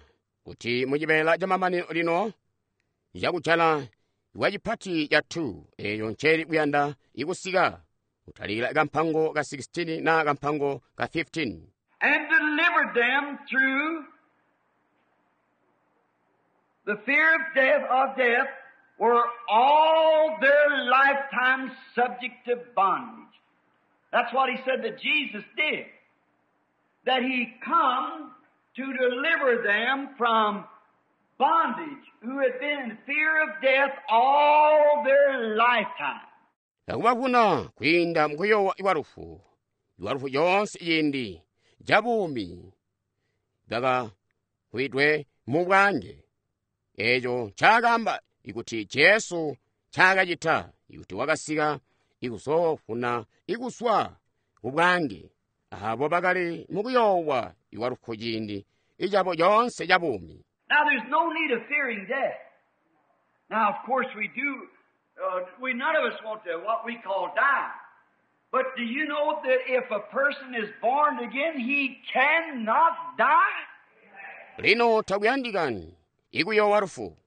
kuti mucibela ca mamanino lino yakujala iwacipati ya two eyo nceli kuyanda ikusika kutalikila kampango ka sixteen na kampango ka fifteen. And delivered them through the fear of death, of death, were all their lifetime subject to bondage. That's what he said that Jesus did. That he come to deliver them from bondage, who had been in fear of death all their lifetime. Akubavuna kwiinda mukuyowa iwalufu, iwalufu yonse yindi jabuumi bakakwidwe mu bwange. Echo ncaakamba ikuti Jesu ncaakacita ikuti wakasika ikuzofuna ikuswa kubwange abo bakali mukuyowa iwalufu ciindi icabo yonse jabuumi. Now there's no need of fearing death. Now of course we do, uh, we none of us want to what we call die. But do you know that if a person is born again, he cannot die? Lino takuyandikani ikuyowa lufu.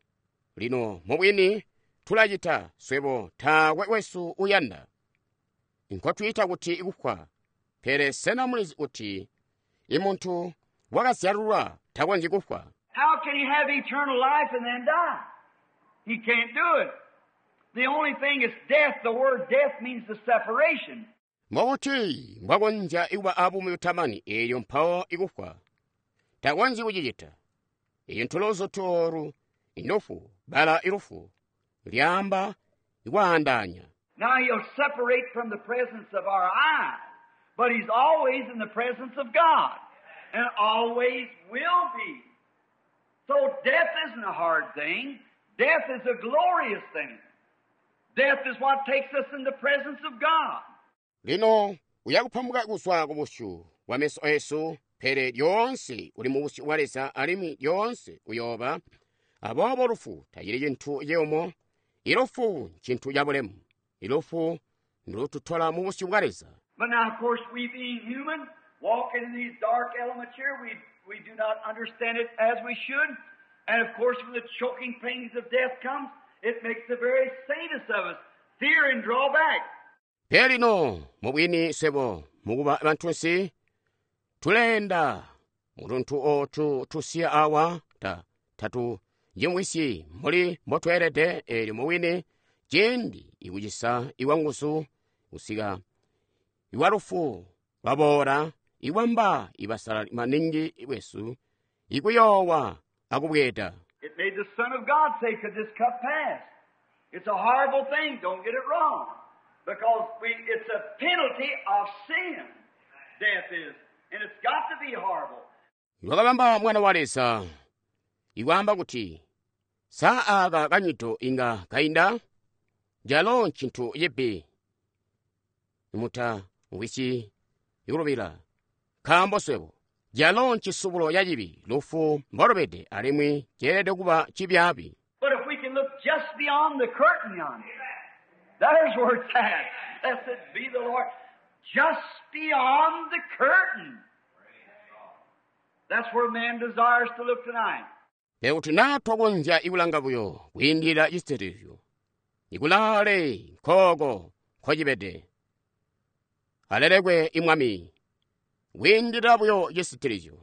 Lino mubwini tulacita swebo taakwe wesu uyanda. Nkotwiita kuti ikufwa. Pele sena mulizi kuti imuntu wakazyalulwa takonzyi kufwa. How can he have eternal life and then die? He can't do it. The only thing is death. The word death means the separation. Mbokuti mbwakonzya ikuba abuumi butamani eyo mpawo ikufwa. Takonzyi kucicita. Iyo ntulozo toru inufu bala ilufu lyamba ikwaandanya. Now he'll separate from the presence of our eyes, but he's always in the presence of God and always will be. So death isn't a hard thing. Death is a glorious thing. Death is what takes us in the presence of God. Lino uyakupambuka kuswa ku busyu bwa meso esu, pele lyonse uli mu busyu bwa Leza alimwi lyonse uyoba. Aboobo lufu tacili cintu ciyumu. Ilufu ncintu ca bulemu. Ilufu ndulututola mu busyu bwa Leza. But now, of course, we being human, walking in these dark elements here, we, we do not understand it as we should. And of course, when the choking pains of death comes, it makes the very saintest of us fear and draw back. Pele lino mubwini swebo mukuba bantunsi tulenda mutuntu otu tusiya awa ta tatu Njimwisyi mbuli mbotweelede eelyo mubwini ciindi ikucisa ikwanguzu kusika iwalufu lwaboola ikwamba ibasalali maningi bwesu ikuyoowa akubweeda. It made the Son of God say, could this cup pass? It's a horrible thing, don't get it wrong. Because we, it's a penalty of sin, death is. And it's got to be horrible. Lwakabamba mwana wa Leza ikwaamba kuti saa aka kanyito inga kainda jalo ncintu cibi muta ngwisyi ikulubila nkaambo swebo jalo ncisubulo ca cibi lufu mbolubede alimwi ceelede kuba cibyaabi. But if we can look just beyond the curtain yonder, there's where it's at. Blessed be the Lord. Just beyond the curtain. That's where man desires to look tonight. Pele kuti naa twakonzya ikulanga buyo kwiindilila cisitilizyo ikulaale nkooko nkocibede alelekwe imwami kwiindilila buyo cisitilizyo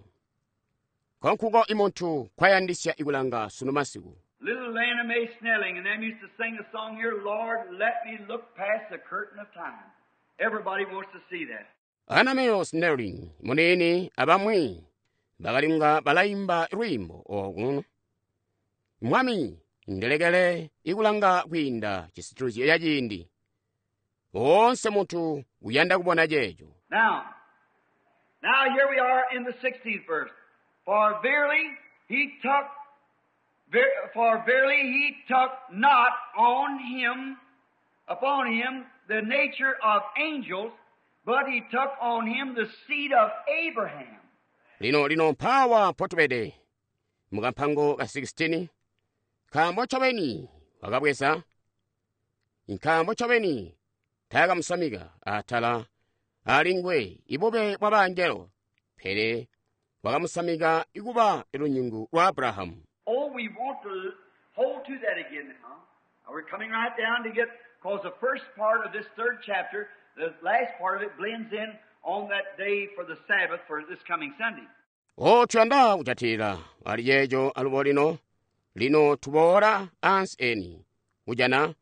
nkonkuko imuntu kwayandisya ikulanga sunu masiku. Little Lena Mae Snelling and them used to sing a song here, Lord, let me look past the curtain of time. Everybody wants to see that. Anna Mae Snelling muniini abamwi bakalinga balaimba lwiimbo oku mwami ndelekele ikulanga kwiinda cisitilizyo ca ciindi woonse muntu uyanda kubona ceeco. Now, now here we are in the sixteenth verse. For verily he took, ver, for verily he took not on him, upon him the nature of angels, but he took on him the seed of Abraham. Lino lino mphawa potubede mukampango ka sixteen nkaambo ncobeni wakabweza nkaambo ncobeni taakamusamika atala alingwe ibube bwa bangelo pele wakamusamika ikuba lunyungu lwa Abrahamu. Oh, we want to hold to that again now. Now we're coming right down to get, because the first part of this third chapter, the last part of it blends in on that day for the Sabbath for this coming Sunday. O tuyanda kuchatira ali yejo alubo lino lino tuboola ansi eni kujana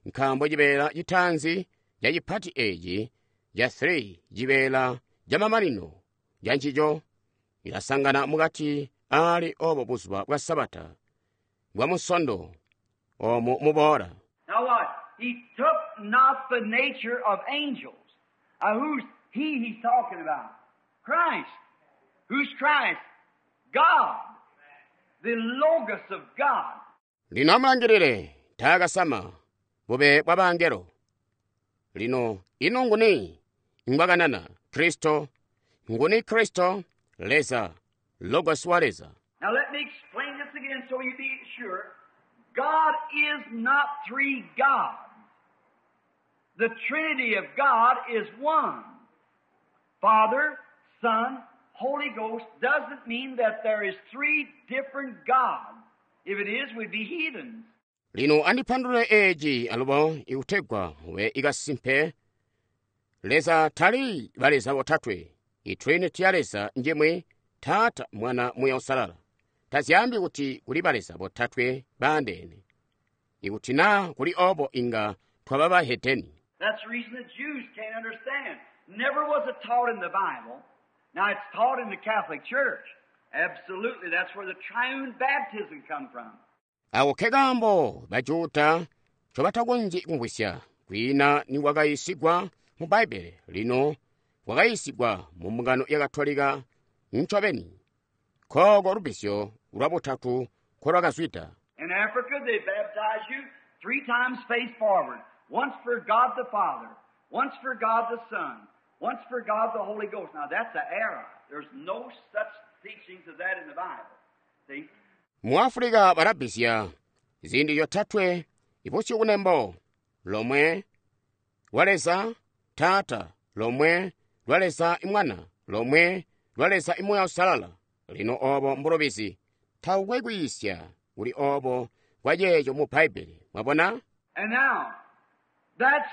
nkaambo cibeela citanzi ca cipati eci ca three cibeela ca mamanino ca ncico ilasangana mukati ali obo buzuba bwa Sabata bwa musondo omu muboola. Now what? He took not the nature of angels. Uh, who's he he's talking about? Christ. Who's Christ? God. The Logos of God. Lino amulangilile taakasama bube bwa bangelo. Lino ino nguni ngwakanana Kristo nguni Kristo Leza Logos wa Leza. Now let me explain this again so you be sure. God is not three gods. The Trinity of God is one. Father, Son, Holy Ghost doesn't mean that there is three different gods. If it is, we'd be heathens. Lino andipandule eci alubo ikutegwa mube ikasimpe Leza tali baleza botatwe. I Trinity ya Leza njemwe Tata, Mwana, Muya Usalala. Tazyambi kuti kuli baleza botatwe baandeene. Ikuti naa kuli obo inga twaba bahedeni. That's the reason the Jews can't understand. Never was it taught in the Bible. Now it's taught in the Catholic Church. Absolutely, that's where the triune baptism come from. Ako kekambo bajuda ncobatakonzyi kumvwisya kwiina ni wakayiisigwa mu Bbaibele lino wakayiisigwa mu mbungano ya Katolika ncobeni. Nkooko lubbizyo lwa butatu nkolwakazwida. In Africa, they baptize you three times face forward. Once for God the Father, once for God the Son, once for God the Holy Ghost. Now that's an error. There's no such teachings of that in the Bible. See? Mu Africa balabbizya ziindi zyotatwe ibusyu kunembo lomwe lwa Leza Taata, lomwe lwa Leza Mwana, lomwe lwa Leza Muya Usalala. Lino obo mbulobizi taukwe kwiisya kuli obo kwa ceeco mu Bbaibele. Mwabona? And now, that's,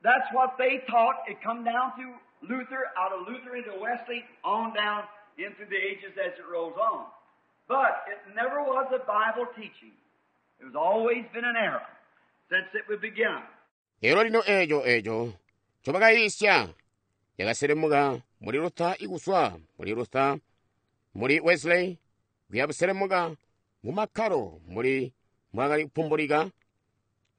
that's what they taught. It come down through Luther, out of Luther into Wesley, on down into the ages as it rolls on. But it never was a Bible teaching. It has always been an error since it would begin. Elo lino eco eco ncobakayiisya yakaselemuka muli Luther ikuswa muli Luther muli Wesley kuyabuselemuka mu makkalo muli mwakali kupumbulika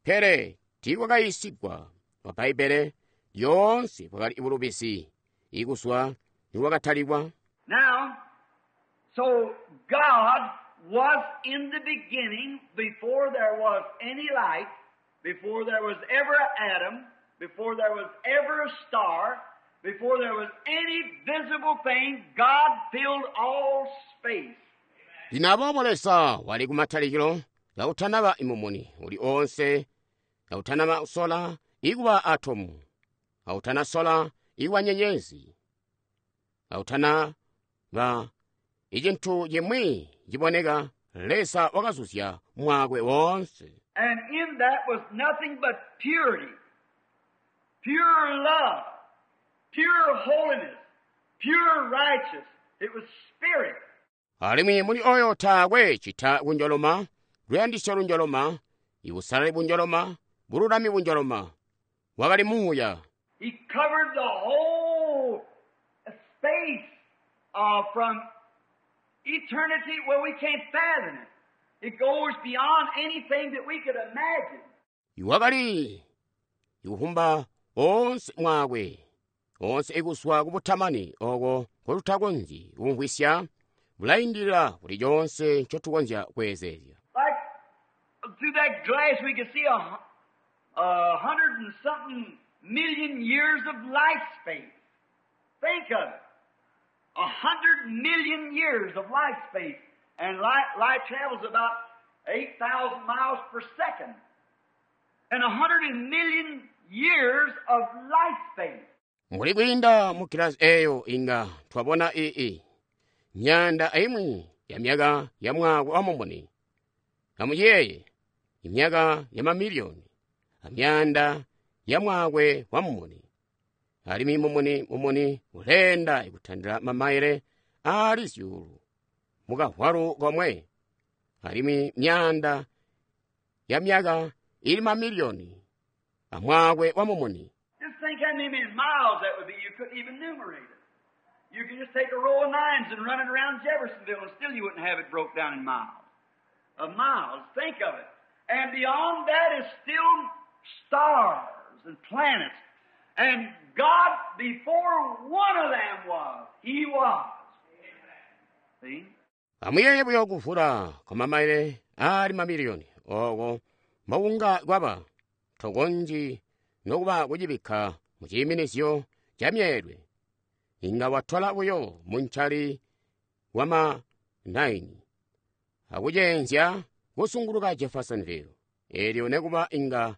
pele tiikwakayiisigwa wa Bbaibbele lyoonse bwakali bulubizi ikuswa nikwakatalikwa. Now, so God was in the beginning before there was any light, before there was ever Adam, before there was ever a star, before there was any visible thing, God filled all space. Lino aboobo Leza wali kumatalikilo kautanaba imumuni uli oonse, kautanaba sola ikuba atomu, kautana sola ikuba nyenyezi, kautanaba icintu cimwi ciboneka, Leza wakazuzya mwaakwe woonse. And in that was nothing but purity, pure love, pure holiness, pure righteousness. It was spirit. Alimwi muli oyo taakwe cita kunjoloma, luyandisyo lunjoloma, ibusalali bunjoloma, bululami bunjoloma. Wakali muuya. He covered the whole space, uh, from eternity where we can't fathom it. It goes beyond anything that we could imagine. Iwakali ikuhumba onse mwakwe, onse ikuswa kubutamani oko kotutakonzyi kumvwisya, bulaindilila kuli chonse nchotukonzya kweezezya. Like through that glass we could see a, a hundred and something million years of light space. Think of it. A hundred million years of light space. And light, light travels about eight thousand miles per second. And a hundred million years of light space. Muli kwiinda mu kilasi eyo inga twabona ii myanda aimwi ya myaka ya mwaka wa mumuni. Amuyeeye imyaka ya mamiliyoni amyanda ya mwakwe wa mumuni. Alimwi mumuni mumuni ulenda ikutandila mamaile ali zyuulu mukahwalu komwe. Alimwi myanda ya myaka ili mamiliyoni amwakwe wa mumuni. Just think how many miles that would be. You couldn't even enumerate it. You could just take a row of nines and run it around Jeffersonville, and still you wouldn't have it broke down in miles. Of miles. Think of it. And beyond that is still stars and planets. And God, before one of them was, He was. See? Amuyeye buyo kuvula kwa mamaile ali mamiliyoni oko maunga kwaba tokonji nokuba kucibikka mu ciiminizyo ca myeelwe. Inga watwala buyo munchali wa ma nine akuceenzya kusunguluka Jeffersonville. Elyo nekuba inga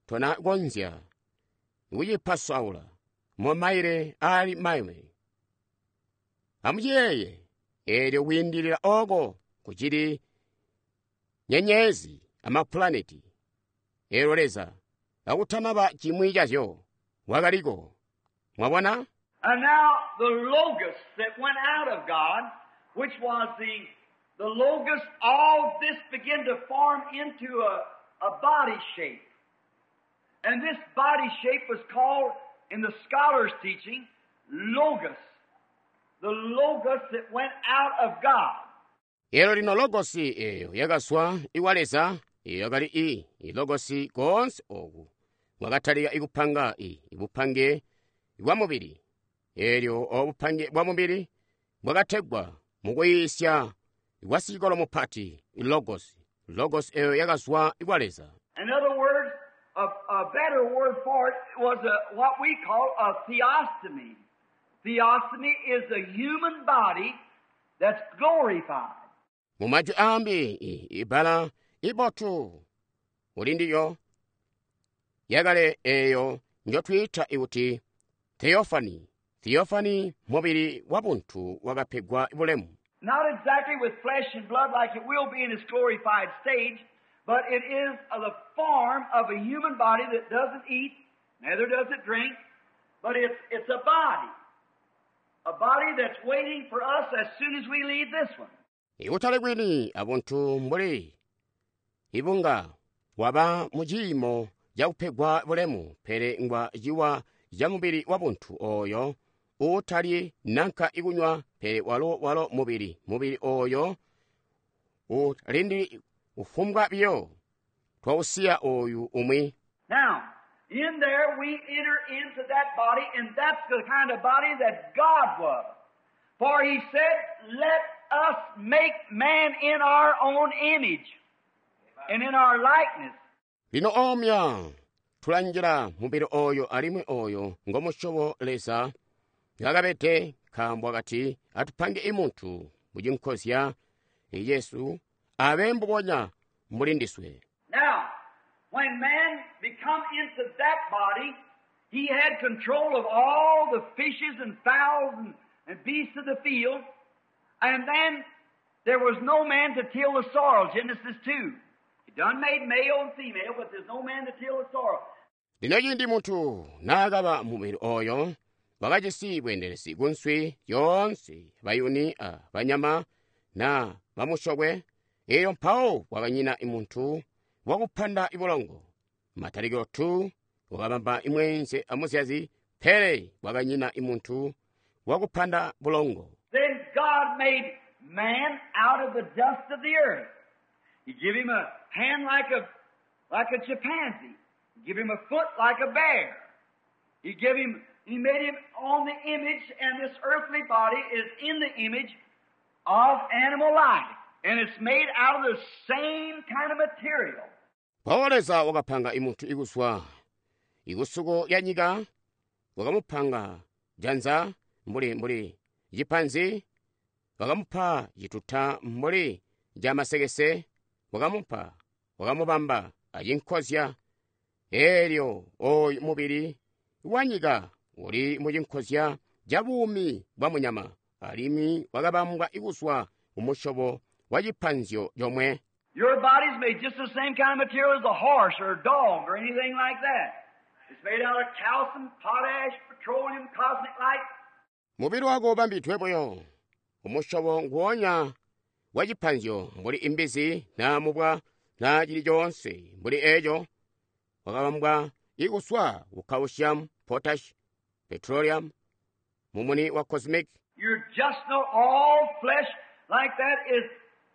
tonakonzya kucipasaula mu maile ali maime. Amuyeeye elyo kwiindilila oko kucili nyenyezi amapulaneti. Elyo Leza akutanaba chimwi chazyo wakaliko. Mwabona? And now the Logos that went out of God, which was the, the Logos, all this began to form into a, a body shape. And this body shape was called, in the scholars' teaching, Logos. The Logos that went out of God. Elo lino Logosi eyo yakaswa iwa Leza, eyo yakali i, i Logosi konse oku. Mwakatalika ikupanga i, ibupange bwa mubili. Elyo obupange bwa mubili bwakategwa mukuyisya bwa sikolo mupati, i Logosi. Logos eyo yakaswa iwa Leza. In other words, a, a better word for it was a, what we call a theostomy. Theostomy is a human body that's glorified. Mu majwi ambi, i, ibala ibotu uli ndiyo yakale eyo njotwiita ikuti theophany. Theophany mubili wa buntu wakapegwa bulemu. Not exactly with flesh and blood like it will be in its glorified stage, but it is the form of a human body that doesn't eat, neither does it drink, but it's, it's a body. A body that's waiting for us as soon as we leave this one. Ikutali kwini abuntu mbuli ibunga waba mu ciimo cakupegwa bulemu, pele ngwa ciwa ca mubili wa buntu oyo uutali nanka ikunywa, pele walo walo mubili, mubili oyo utalindili kufumbwa biyo twausiya oyu umwi. Now, in there we enter into that body, and that's the kind of body that God was. For He said, let us make man in our own image and in our likeness. Lino omya tulanjila mubili oyo alimwi oyo ngomusyobo Leza ngakabede, nkaambo akati atupange imuntu mucinkozya Yesu abe mbubonya mbuli ndiswe. Now, when man become into that body, he had control of all the fishes and fowls and, and beasts of the field, and then there was no man to till the soil, Genesis two. He done made male and female, but there's no man to till the soil. Lino cindi muntu naakaba mubili oyo, wakajisi bweendelezi kunswi yoonse, bayuni a banyama na bamusyokwe, eelyo mpawo kwakanyina muntu wakupanda ibulongo. Matalikilo two wakabamba imweenze amuzyazi, pele kwakanyina muntu wakupanda bulongo. Then God made man out of the dust of the earth. He gave him a hand like a, like a chimpanzee. He gave him a foot like a bear. He gave him, he made him on the image, and this earthly body is in the image of animal life. And it's made out of the same kind of material. Mpawo Leza wakapanga imuntu ikuswa ikusuko lya nyika, wakamupanga janza mbuli mbuli cipanzi, wakamupa cituta mbuli ca masekese, wakamupa, wakamubamba acinkozya. Eelyo oyu mubili wa nyika uli mucinkozya ca buumi bwa munyama, alimwi wakabambwa ikuswa kumusyobo wa cipanzyo comwe. Your body's made just the same kind of material as a horse or a dog or anything like that. It's made out of calcium, potash, petroleum, cosmic light. Mubili wako ubambidwe buyo umusyobo nguwonya wa cipanzyo mbuli imbizi na mubwa na cili coonse mbuli eco, wakabambwa ikuswa ku calcium, potash, petroleum, mumuni wa cosmic. You're just not all flesh like that is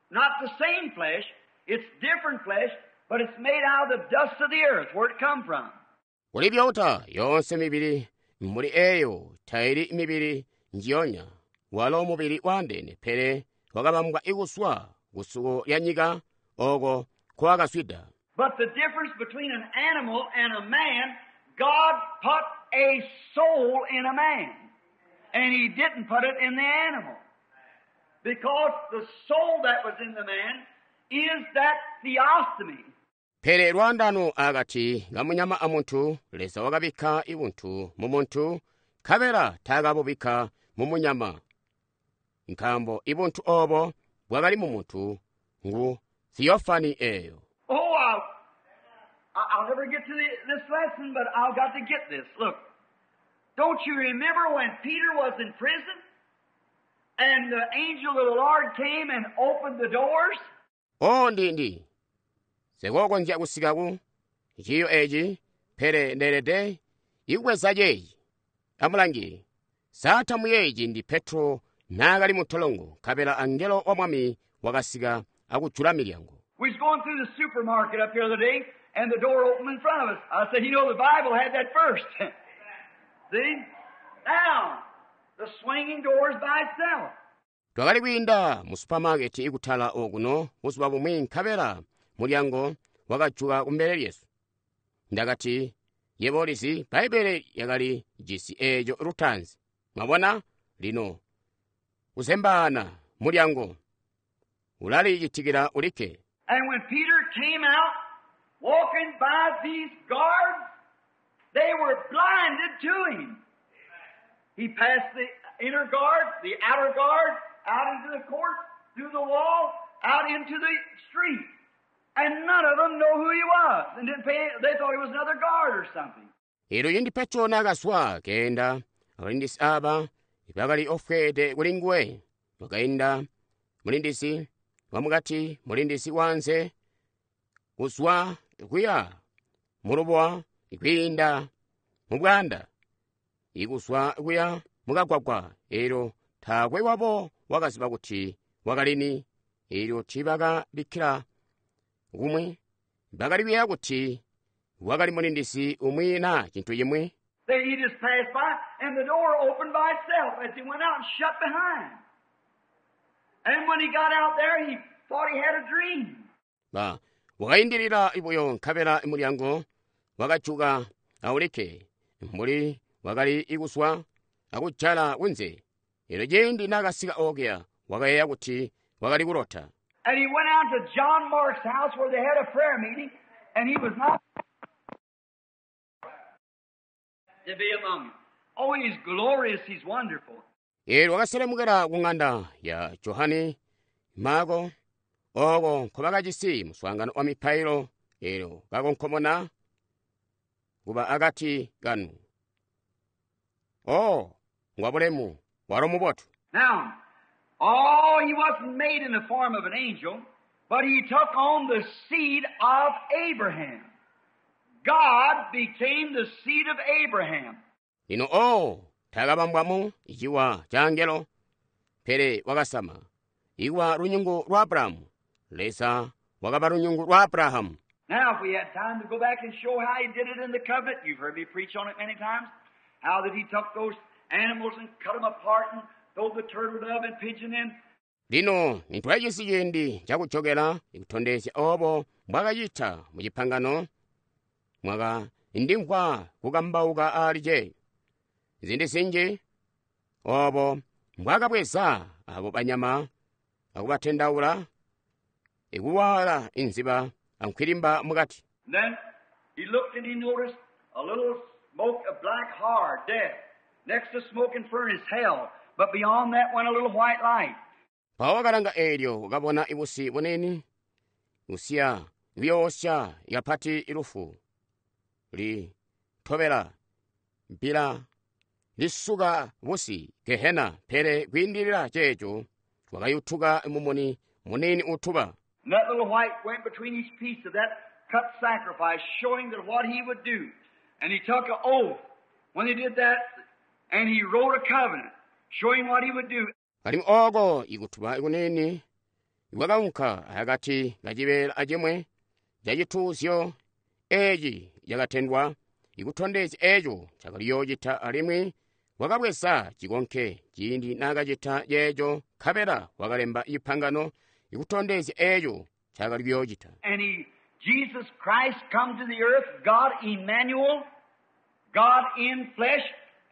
not the same flesh. It's different flesh, but it's made out of the dust of the earth, where it come from. Kuli byota yonse mibili mbuli eyo taili mibili njiyonya, walo mubili wandene, pele wakabambwa ikuswa kusuko lya nyika oko kwakaswida. But the difference between an animal and a man, God put a soul in a man, and He didn't put it in the animal. Because the soul that was in the man is that theophany. Pele lwandano akati kamunyama amuntu, Leza wakabikka ibuntu mu muntu, nkabela taakabubikka mu munyama. Nkaambo ibuntu obo bwakali mu muntu ngu theophany eyo. Oh, I'll, I'll never get to the, this lesson, but I've got to get this. Look, don't you remember when Peter was in prison and the angel of the Lord came and opened the doors? Oh, ndi ndi. Sikokonzya kusika ku ciyo eci, pele ndeelede ikubweza ceeci. Amulangi, saatamu yeeci ndi Petro naakali mu ntolongo, nkabela angelo wa Mwami wakasika akujula milyango. We was going through the supermarket up here the other day, and the door opened in front of us. I said, you know, the Bible had that first. See? Now, the swinging doors by itself. Twakali kwiinda mu supermarket ikutala okuno buzuba bumwi, nkabela mulyango wakajuka kumbele lyesu. Ndakati, yebo ulizi, Bbaibele yakali jisi eeco lutaanzi. Mwabona? Lino, kuzembaana mulyango ulalicitikila ulikke. And when Peter came out, walking by these guards, they were blinded to him. He passed the inner guard, the outer guard, out into the court, through the wall, out into the street. And none of them know who he was. And didn't pay, they thought he was another guard or something. Elyo cindi Petro naakazwa keenda, abalindisi aba bakali ofweede kuli nguwe, wakainda Mulindizi wamukati, mulindizi wanze, kuzwa kuya mulubuwa kwiinda mubwanda, ikuzwa kuya mukagwagwa. Elyo taakwe wabo wakaziba kuti wakalini. Elyo tiibakabikkila kumwi, bakali kuyeeya kuti wakali mulindizi umwi naa cintu cimwi. Then he just passed by, and the door opened by itself as he went out and shut behind. And when he got out there, he thought he had a dream. Ba wakaindilila buyo nkabela mulyango wakajuka awulikke mbuli wakali ikuswa akujala kunze. Elyo ciindi naakasika okuya wakayeeya kuti wakali kulota. And he went out to John Mark's house where they had a prayer meeting, and he was not to be among them. Oh, he's glorious, he's wonderful. Elyo wakaselemukela ku ng'anda ya Johani Marko oko nkobakajisi muswaangano wa mipailo. Elyo kakonkomona kuba akati kanu. Oh, ngwabulemu, walo mubotu. Now, oh, he wasn't made in the form of an angel, but he took on the seed of Abraham. God became the seed of Abraham. Lino oh, taakabambwamu ciwa ca angelo, pele wakasama iwa lunyungu lwa Abrahamu. Leza wakaba lunyungu lwa Abrahamu. Now, if we had time to go back and show how he did it in the covenant, you've heard me preach on it many times, how that he took those animals and cut them apart and throw the turtle dove and pigeon in. Lino nitwajisi ciindi cakujokela ikutondezya obo mbwakacita mu cipangano, mwaka ndimvwa kukambauka ali ce. Zindi zinji obo mbwakabweza abo banyama akubatendaula ikuwala inziba ankwilimba mukati. And then he looked and he noticed a little smoke of black hard death. Next to smoking furnace, hell. But beyond that went a little white light. Mpawo wakalanga eelyo wakabona ibusi bunini busiya buyoosya kapati ilufu litobela bbila lisuka busi Gehena, pele kwiindilila ceeco wakayutuka mumuni munini utuba. And that little white went between each piece of that cut sacrifice, showing that what he would do. And he took an oath when he did that, and he wrote a covenant, showing what he would do. Alimwi ooko ikutuba kunini kwakaunka akati kacibeela acimwi cacituuzyo eeci cakatendwa ikutondezya eeco cakaliyoocita, alimwi wakabweza cikonke ciindi naakacita ceeco, nkabela wakalemba cipangano ikutondezya eeco cakali kuyoocita. And he, Jesus Christ, come to the earth, God Emmanuel, God in flesh,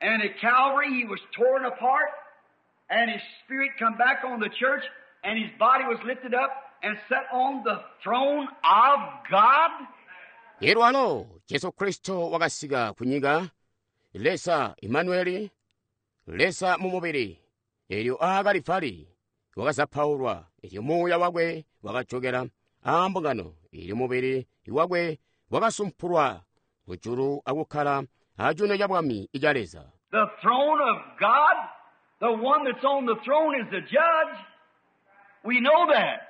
and at Calvary he was torn apart, and his spirit come back on the church, and his body was lifted up and set on the throne of God. Elyo alo Jesu Kristo wakasika kunyika, Leza Emmanueli, Leza mu mubili. Elyo aakalifali wakazapaulwa, elyo muuya wakwe wakajokela aambungano, elyo mubili wakwe wakasumpulwa kujulu akukkala acuuno ca bwami ica Leza. The throne of God, the one that's on the throne is the judge. We know that.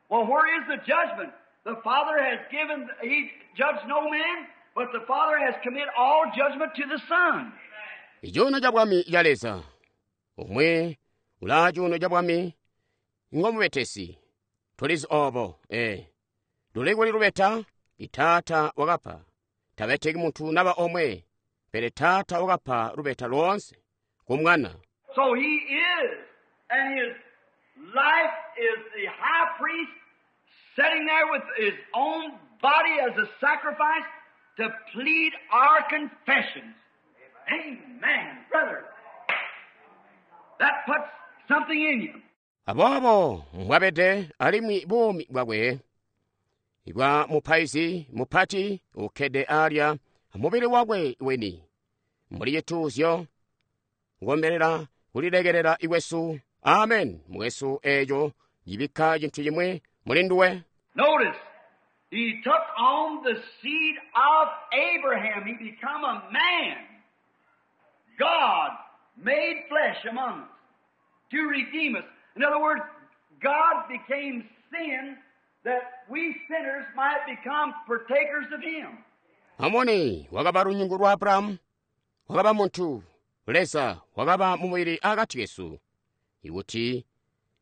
Well, where is the judgment? The Father has given, he judged no man, but the Father has committed all judgment to the Son. Icuuno ca bwami ca Leza, umwe ulaa cuuno ca bwami ngomubetesi. Tulizi obo, eh. Luli kuli lubeta, itaata wakapa. Tabeteki muntu naba omwe, pele taata wakapa lubeta loonse ku mwana. So he is, and his life is the high priest sitting there with his own body as a sacrifice to plead our confessions. Amen, brother. That puts something in you. Aboobo mbwabede alimwi buumi bwakwe bwa mupaizi mupati ukkede alya mubili wakwe weni mbuli cituuzyo kukombelela kulilekelela ikwesu. Amen. Mwesu eeco cibikka cintu cimwi muli nduwe. Notice, he took on the seed of Abraham. He become a man. God made flesh among us to redeem us. In other words, God became sin that we sinners might become partakers of Him. Amone wakaba lunyungu lwa Abrahamu, wakaba muntu, Leza wakaba mumubili akati kesu. Ikuti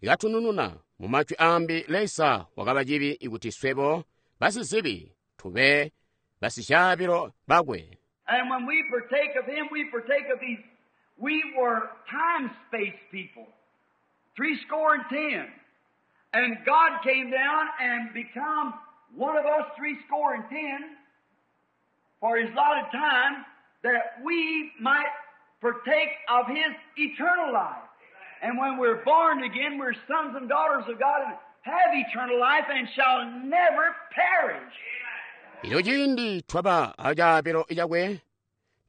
katunununa mu majwi ambi Leza wakaba cibi ikuti swebo basizibi tube basicaabilo bakwe. And when we partake of Him, we partake of these. We were time space people, three score and ten. And God came down and become one of us three score and ten for His allotted time that we might partake of His eternal life. And when we're born again, we're sons and daughters of God and have eternal life and shall never perish. Ilo ciindi twaba acaabilo cakwe,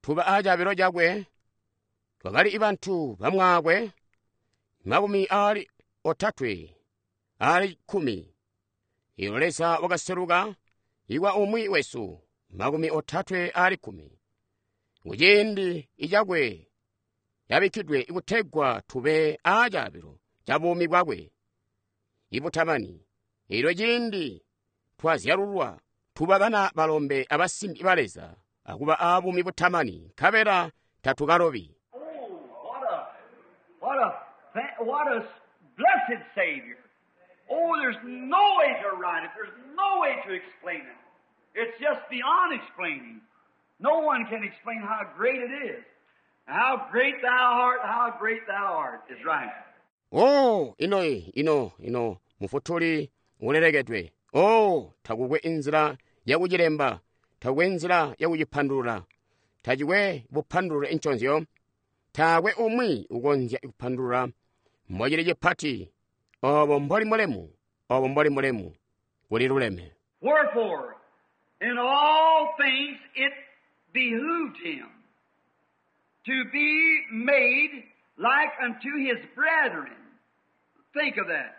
tuba acaabilo cakwe, twakali bantu bamwakwe, makumi ali otatwe, ali kkumi. Ilo Leza wakaseluka, ikwa umwi wesu, makumi otatwe ali kkumi. Kuciindi icakwe yabikkidwe ikutegwa tube acaabilo ca buumi bwakwe ibutamani. Ilo ciindi twazyalulwa, tuba bana balombe abasimbi ba Leza, akuba abuumi butamani, nkabela tatukalobi. Oh, what a, what a, fa- what a blessed Savior. Oh, there's no way to write it. There's no way to explain it. It's just beyond explaining. No one can explain how great it is. How great thou art, how great thou art is right. Oh, ino ino ino mufutuli ulelekedwe. Oh, takukwe inzila yakucilemba, takukwe inzila yakucipandulula, tacikwe bupandulule inconzyo, taakwe umwi ukonzya kupandulula mbocili cipati, obo mboli mulemu, obo mboli mulemu, kuli luleme. Wherefore, in all things it behooved him to be made like unto his brethren. Think of that.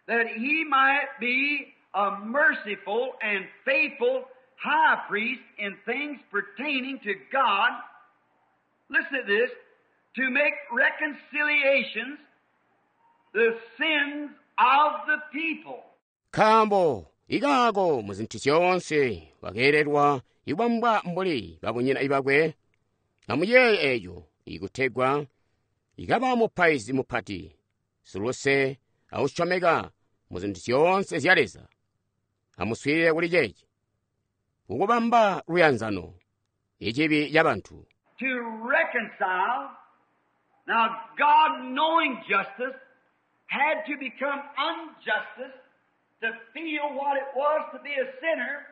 That he might be a merciful and faithful high priest in things pertaining to God. Listen to this. To make reconciliations the sins of the people. Nkaambo ikaako mu zintu zyoonse wakeelelwa ibwambwa mbuli babunyina ibakwe, amuyeeye eeco ikutegwa ikaba mupaizi mupati, siluse akusyomeka mu zintu zyoonse zya Leza. Amuswiilile kuli ceeci, kukubamba luyanzano, icibi ca bantu. To reconcile. Now, God, knowing justice, had to become unjustice to feel what it was to be a sinner,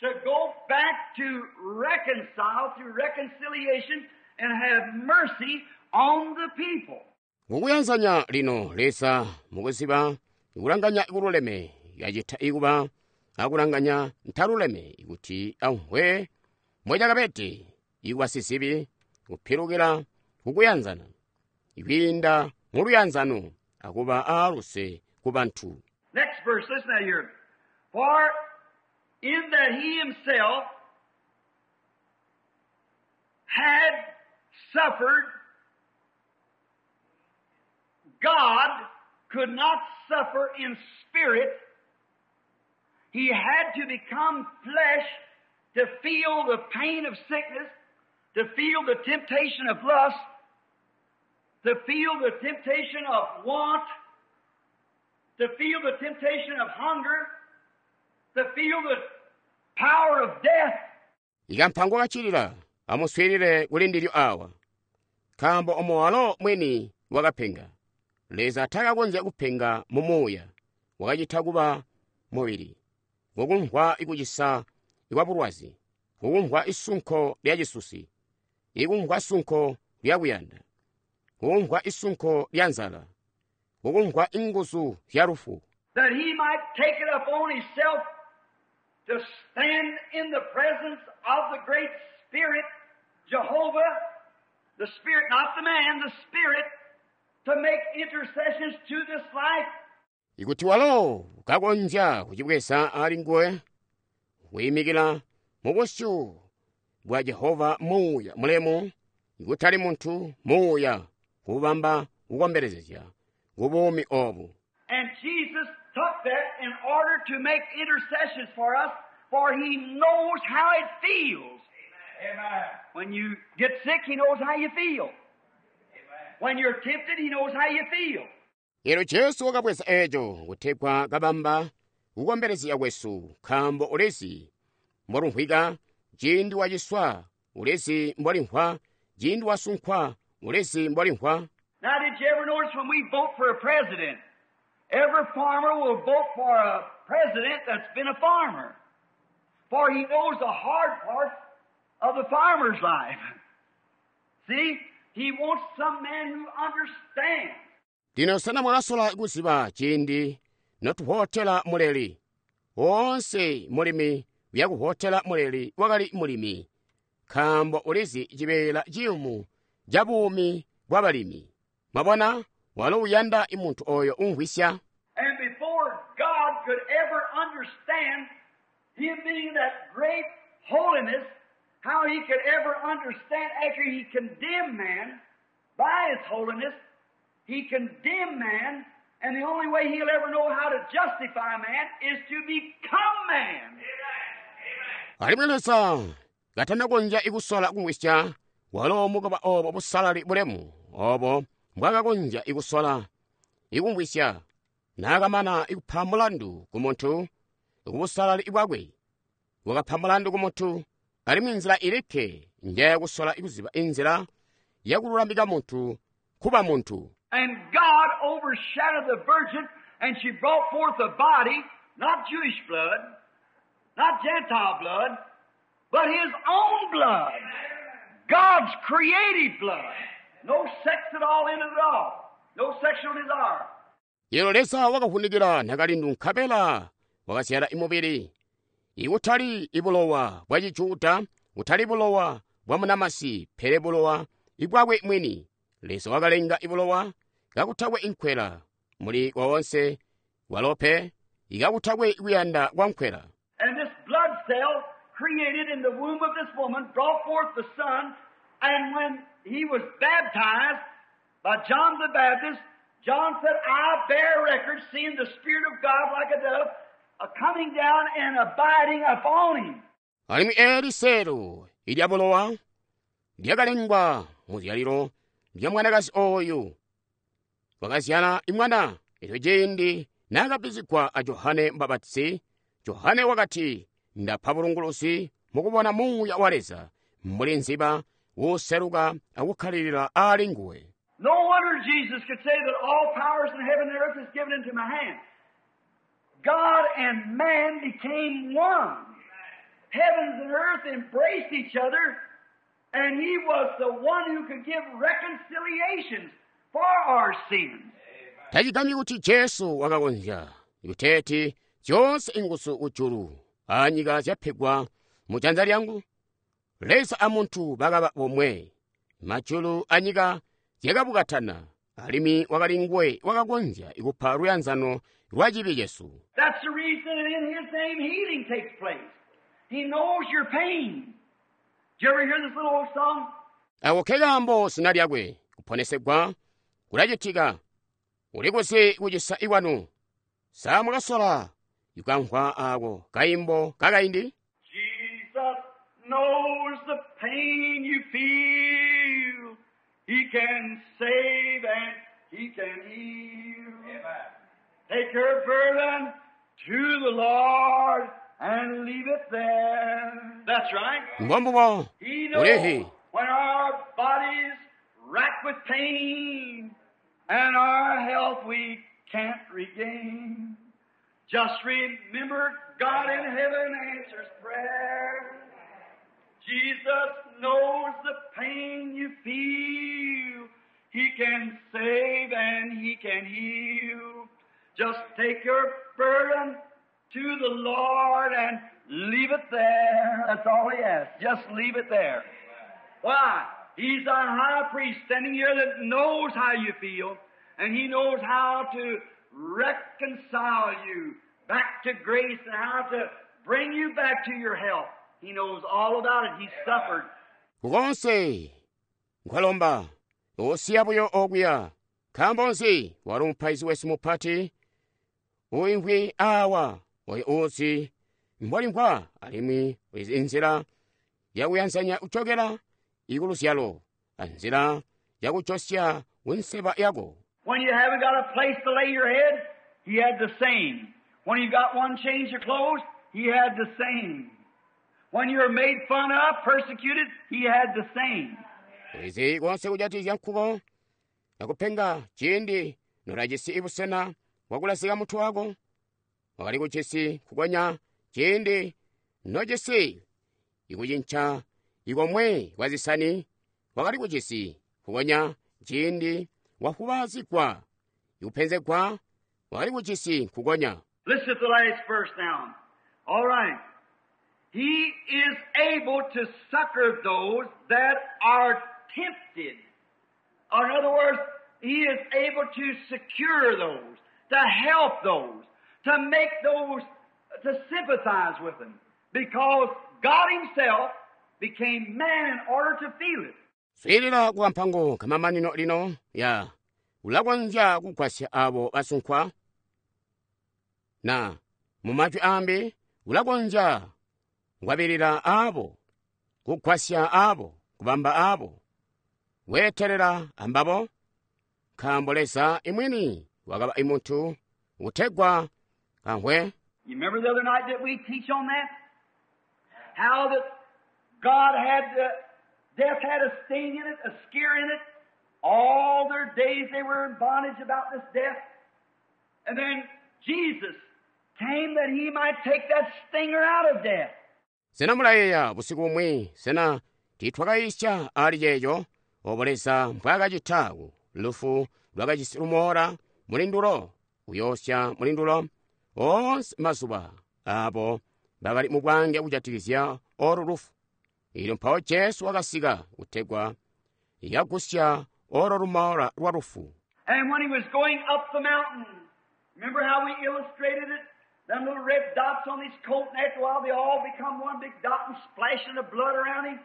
to go back to reconcile through reconciliation and have mercy on the people. Kukuyanzanya lino Leza mukuziba ikulanganya ikululeme yacita ikuba akulanganya ntaluleme ikuti amvwe mbwecakabede ikuba sizibi kupilukila kukuyanzana ikwiinda mu luyanzano akuba aaluse ku bantu. Next verse, listen out here. For in that he himself had suffered, God could not suffer in spirit. He had to become flesh to feel the pain of sickness, to feel the temptation of lust, to feel the temptation of want, to feel the temptation of hunger, to feel the power of death. Ikampango kacilila amuswiilile kuli ndilyo awa, nkaambo omo walo mwini wakapenga. Leza takakonzya kupenga mu muuya, wakacita kuba mubili, ngokumvwa ikucisa ikwa bulwazi, ngokumvwa isunko lya cisusi, ikumvwa sunko lya kuyanda, ngokumvwa isunko lya nzala, ngokumvwa inguzu zya lufu. That he might take it upon himself to stand in the presence of the great Spirit, Jehovah, the Spirit, not the man, the Spirit, to make intercessions to this life. Ikuti walo kakonzya kucibweza ali nguwe, kuyimikila mu busyu bwa Jehova muuya mulemu, ikutali muntu muuya, kubamba kukombelezezya ku buumi obu. And Jesus took that in order to make intercessions for us, for He knows how it feels. Amen. When you get sick, He knows how you feel. When you're tempted, He knows how you feel. Elyo Jesu wakabweza eco kutegwa kabamba kukombelezya kwesu, nkaambo ulizi mbolumvwika ciindi waciswa, ulizi mbolimvwa ciindi wasunkwa, ulizi mbolimvwa. Now, did you ever notice when we vote for a president, every farmer will vote for a president that's been a farmer, for he knows the hard part of the farmer's life. See, he wants some man who understands. Lino sena mwakasola kuziba ciindi notuvootela muleli? Woonse mulimi uyakuvootela muleli wakali mulimi, nkaambo ulizi cibeela ciyumu ca buumi bwabalimi. Mwabona, walo uyanda muntu oyo umvwisya. And before God could ever understand Him being that great holiness, how He could ever understand after He condemned man by His holiness, He condemned man, and the only way He'll ever know how to justify man is to become man. Alimwi Leza katanakonzya ikusola kumvwisya, walo mukuba obo busalali bulemu obo mbwakakonzya ikusola ikumvwisya, naakamana ikupa mulandu ku muntu kubusalali bwakwe, wakapa mulandu ku muntu, alimwi nzila ilikke njayakusola ikuziba inzila yakululamika muntu kuba muntu. And God overshadowed the virgin, and she brought forth a body, not Jewish blood, not Gentile blood, but His own blood. God's creative blood. No sex at all in it at all. No sexual desire. Elo Leza wakavunikila nakalindu nkabela wakazyala imubili, ikutali ibulowa bwa Chijuda, kutali bulowa bwa munamasi, pele bulowa ibwakwe mwini. Leza wakalenga ibulowa kakutakwe inkwela muli wawonse walope ikakutakwe kuyanda kwa nkwela. And this blood cell created in the womb of this woman brought forth the Son, and when he was baptized by John the Baptist, John said, I bear record seeing the Spirit of God like a dove uh, coming down and abiding upon him. Alimwi eli seelo ilya bulowa lyakalengwa mu zyalilo lya mwanakazi oyu wakazyala imwana. Elyo ciindi naakabbizigwa a Johane Mubapatizi, Johane wakati, ndapa bulunguluzi mukubona Muuya wa Leza mbuli nziba wuseluka akukkalilila ali nguwe. No wonder Jesus could say that all powers in heaven and earth is given into my hand. God and man became one. Heavens and earth embraced each other, and He was the one who could give reconciliations for our sins. Tacigambyi kuti Jesu wakakonzya kuteeti zyoonse inguzu kujulu anyika zyapegwa mu janza lyangu. Leza a muntu bakaba bomwe, majulu anyika zyakabukatana, alimwi wakali nguwe wakakonzya kupa luyanzano lwa cibi cesu. That's the reason that in His name healing takes place. He knows your pain. Did you ever hear this little old song? Ako ke kaambo zina lyakwe kuponesegwa kulacitika. Ulikuzi kucisa ikwanu. Sa mwakasola ikamvwa ako kaimbo kakaindi? Jesus knows the pain you feel. He can save and He can heal. Amen. Take your burden to the Lord and leave it there. That's right. Mbombubo He knows ulihi when our bodies racked with pain and our health we can't regain. Just remember God in heaven answers prayer. Jesus knows the pain you feel. He can save and He can heal. Just take your burden to the Lord and leave it there. That's all He asks. Just leave it there. Why? He's our high priest standing here that knows how you feel, and He knows how to reconcile you back to grace and how to bring you back to your health. He knows all about it. He suffered. Kukonse nkwalomba osiya buyo okuya. Nkaambo nzi wali mupaizi wesu mupati uimvwi awa oyo uuzi mbwalimvwa alimwi ulizi nzila yakuyanzanya kuchokera ikuluzyalo anzila yakuchosya kunseba yako. When you haven't got a place to lay your head, he had the same. When you got one change of clothes, he had the same. When you were made fun of, persecuted, he had the same. Ulizi konse kujatizya nkuko akupenga ciindi nolajisi ibusena bwakulasika mutu wako wakali kucisi kukonya ciindi nocisi ikucinca ikomwe kwa zisani wakali kucisi kukonya ciindi wafubazigwa ikupenzegwa wakali kucisi kukonya. Listen to the last verse now. All right. He is able to succor those that are tempted. Or in other words, he is able to secure those, to help those, to make those, to sympathize with them. Because God himself became man in order to feel it. Swiilila kukampango kamamanino lino ya ulakonzya kugwasya abo basunkwa na mumajwi ambi ulakonzya kukwabilila abo kugwasya abo kubamba abo weetelela ambabo nkaambo Leza imwini wakaba imuntu utegwa kamvwe. You remember the other night that we teach on that? How that God had the, death had a sting in it, a scare in it. All their days they were in bondage about this death. And then Jesus came that he might take that stinger out of death. Sena mulayeeya busiku bumwi sena tiitwakayisya ali ceeco obo Leza mbwaakacita lufu lwakajisi lumoola mulindulo kuyoosya mulindulo oonse mazuba abo bakali mu bwange kujatikizya olu lufu. Ilyo mpawo Jesu wakasika kutegwa yagusya olo lumoola lwa lufu. And when he was going up the mountain, remember how we illustrated it? Them little red dots on his coat, and after a while they all become one big dot and splashing the blood around him.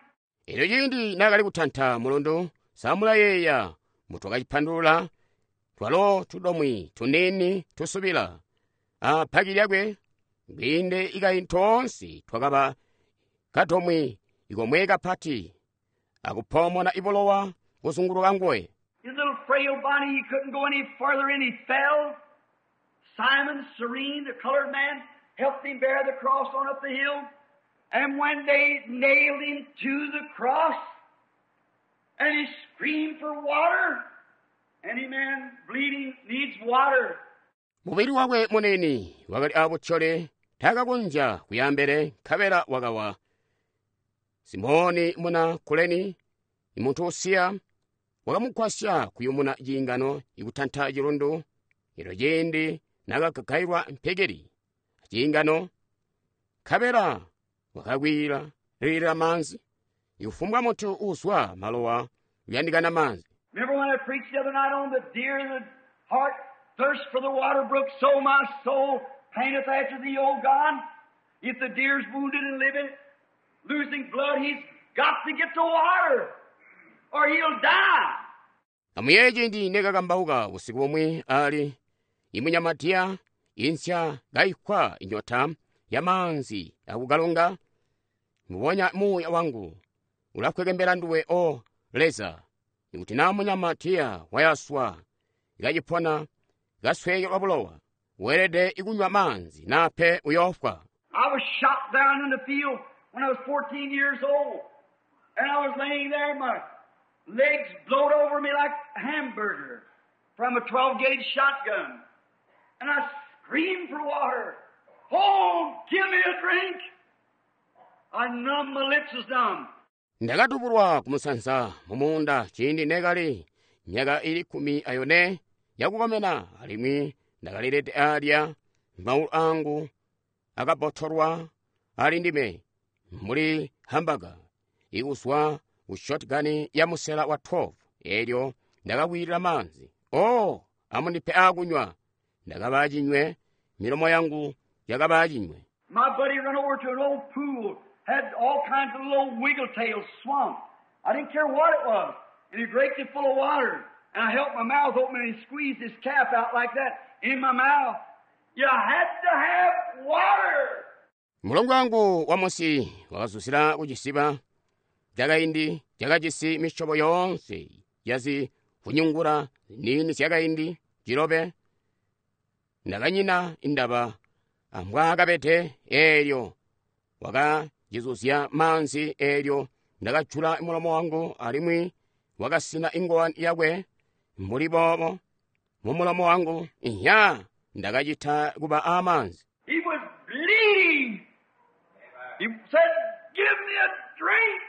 Elyo ciindi naakali kutanta mulundu samulayeeya mutwakacipandulula twalo tudomwi tuniini tusubila apaki lyakwe kwiinde ikayi toonse twakaba kadomwi ikomwe kapati akupoomona ibulowa kuzunguluka nguwe. His little frail body, he couldn't go any further, and he fell. Simon Cyrene, the colored man, helped him bear the cross on up the hill. And when they nailed him to the cross, and he screamed for water, any man bleeding needs water. Mubili wakwe munene wakali abutyole taakakonzya kuyambele nkabela wakawa. Simoni muna Kuleni, imuntu usiya, wakamugwasya kuyumuna ciingano ikutanta cilundu. Elyo ciindi naakagagailwa mpekeli ciingano, nkabela wakakwila lilila maanzi. Ikufumbwa muntu uzwa malowa uyandikana maanzi. Remember when I preached the other night on the deer and the hart thirst for the water brook, so my soul panteth after thee, O God. If the deer's wounded and living, losing blood, he's got to get to water, or he'll die. Amuyeeye ciindi nekakambauka busiku bumwi ali imunyamatiya insya kaikwa inyota ya maanzi akukalunga, mubonya muuya wangu ulakwekembela nduwe o Leza. Ikuti naa munyamatiya wayaswa ikacipona kasweekelwa bulowa, weelede ikunywa maanzi nape uyoofwa. I was shot down in the field when I was fourteen years old, and I was laying there, my legs blowed over me like a hamburger from a twelve gauge shotgun. And I screamed for water. Oh, give me a drink. I numbed, my lips was numb. Ndakatubulwa kumusanza mumuunda ciindi nekali myaka ili kkumi ayone yakukomena, alimwi ndakalilede alya maulu angu akabotolwa ali ndime mbuli hambaga ikuzwa ku shotgun ya musela wa twelve. Elyo ndakakwilila maanzi. Oh, amundipe akunywa. Ndakaba cinywe, milomo yangu yakaba cinywe. My buddy run over to an old pool, had all kinds of little wiggle tails swamp. I didn't care what it was. And he raked it full of water. And I held my mouth open and he squeezed his cap out like that in my mouth. You had to have water. Mulongo wangu wa Mosi wakazuzila kucisiba cakaindi cakajisi misyobo yoonse yazivunyungula ziniini zyakaindi cilobe. Ndakanyina indaba ambwaakabede eelyo wakacizuzya maanzi eelyo ndakajula mulomo wangu alimwi wakasina ingowani yakwe mbuli boobo mumulomo wangu inya ndakacita kuba amaanzi. He was bleeding. He said, "Give me a drink."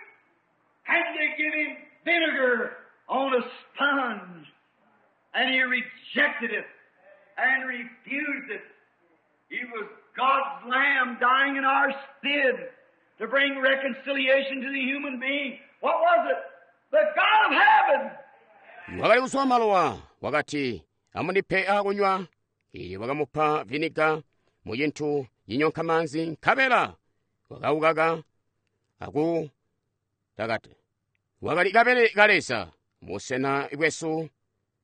And they give him vinegar on a sponge. And he rejected it and refused it. He was God's Lamb dying in our stead to bring reconciliation to the human being. What was it? The God of heaven. Wakali kuswa malowa wakati amundipe akunywa ili wakamupa viniga mu cintu cinyonka maanzi nkabela wakaukaka aku takate. Wakali kabele ka Leza busena bwesu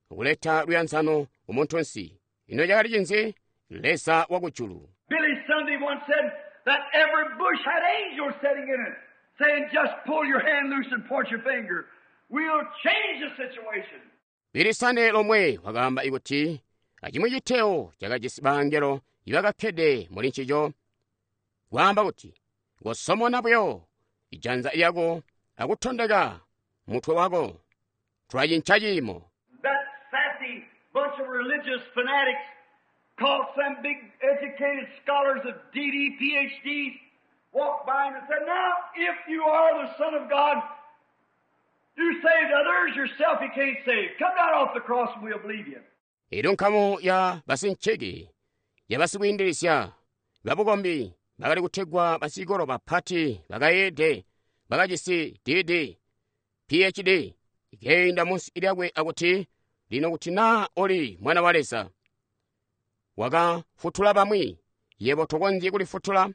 kuleta luyanzano kumuntunsi. Ino cakali cinzi? Leza wakujulu. Billy Sunday once said that every bush had angels sitting in it, saying, "Just pull your hand loose and point your finger. We'll change the situation." Billy Sunday lomwe wakaamba ikuti acimwi citeo cakajisi bangelo ibakakkede muli ncico kwaamba kuti kosomona buyo ijanza lyako akutondeka mutwe wako tulacinca ciimo. That sassy bunch of religious fanatics called some big educated scholars of D D, P H Ds, walked by him and said, "Now, if you are the Son of God, you saved others, yourself you can't save. Come down off the cross and we'll believe you." Elyo nkamu ya basincheki ya basikwiindilisya babukombi bakali kutegwa basikolo bapati bakayeede bakajisi D D, P H D ikeyinda munsi lyakwe akuti lino kuti naa oli mwana wa Leza wakafutula bamwi yebo tokonzyi kulifutula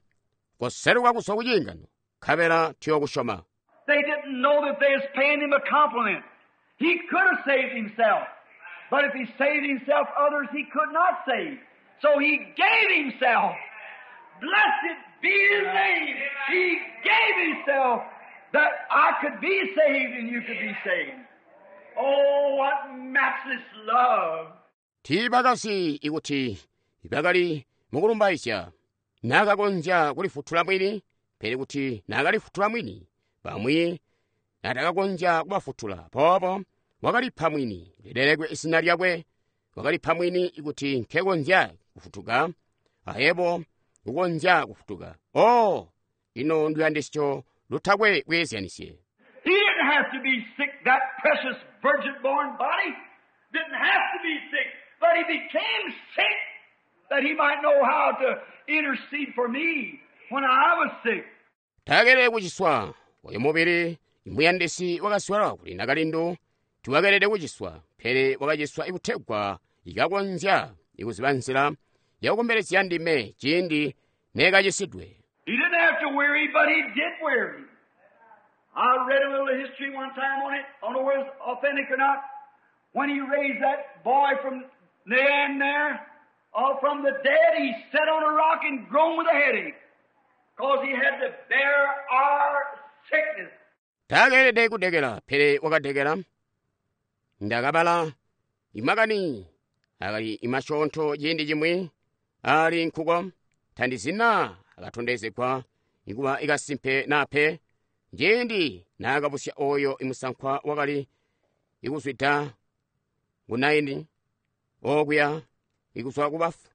koseluka kuzwa ku ciingano nkabela tuyokusyoma. They didn't know that they was paying him a compliment. He could have saved himself, but if he saved himself, others he could not save. So he gave himself. Blessed be his name. He gave himself that I could be saved and you could be saved. Oh, what matchless love. Tiibakasi ikuti bakali mukulumbaizya naakakonzya kulifutula mwini, pele kuti naakalifutula mwini bamwi natakakonzya kubafutula. Poopo wakalipa mwini lilelekwe izina lyakwe, wakalipa mwini ikuti nkekonzya kufutuka ayebo kukonzya kufutuka. Oh, ino nduyandisyo lutakwe kweezyanisye. He didn't have to be sick, that precious virgin-born body didn't have to be sick, but he became sick that he might know how to intercede for me when I was sick. Taakelele kuciswa oyo mubili muyandisi wakaswala kuli nakalindu tiwakelele kuciswa, pele wakaciswa ikutegwa ikakonzya ikuziba nzila yakukombelezya ndime ciindi neekacisidwe. He didn't have to weary, but he did weary. I read a little history one time on it. I don't know whether it's authentic or not. When he raised that boy from Nain there, uh, from the dead, he sat on a rock and groaned with a headache, 'cause he had to bear our sickness. Taakelede kudekela, pele wakadekela. Ndakabala imakani akali imasyoonto ciindi cimwi ali nkuko tandizina akatondezegwa ikuba ikasimpe nape ciindi naakabusya oyo imusankwa wakali ikuzwida ku Naini okuya ikuzwa kubafu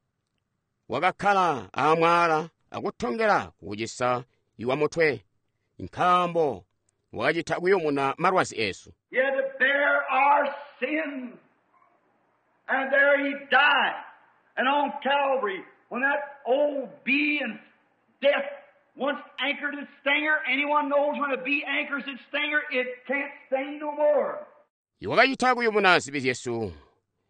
wakakkala amwala akutongela kukucisa iwa mutwe nkaambo wakacita kuyumuna malwazi esu. He had to bear our sins. And there he died. And on Calvary, when that old bee and death once anchored its stinger, anyone knows when a bee anchors its stinger, it can't sting no more. Wakacita kuyumuna zibi zyesu.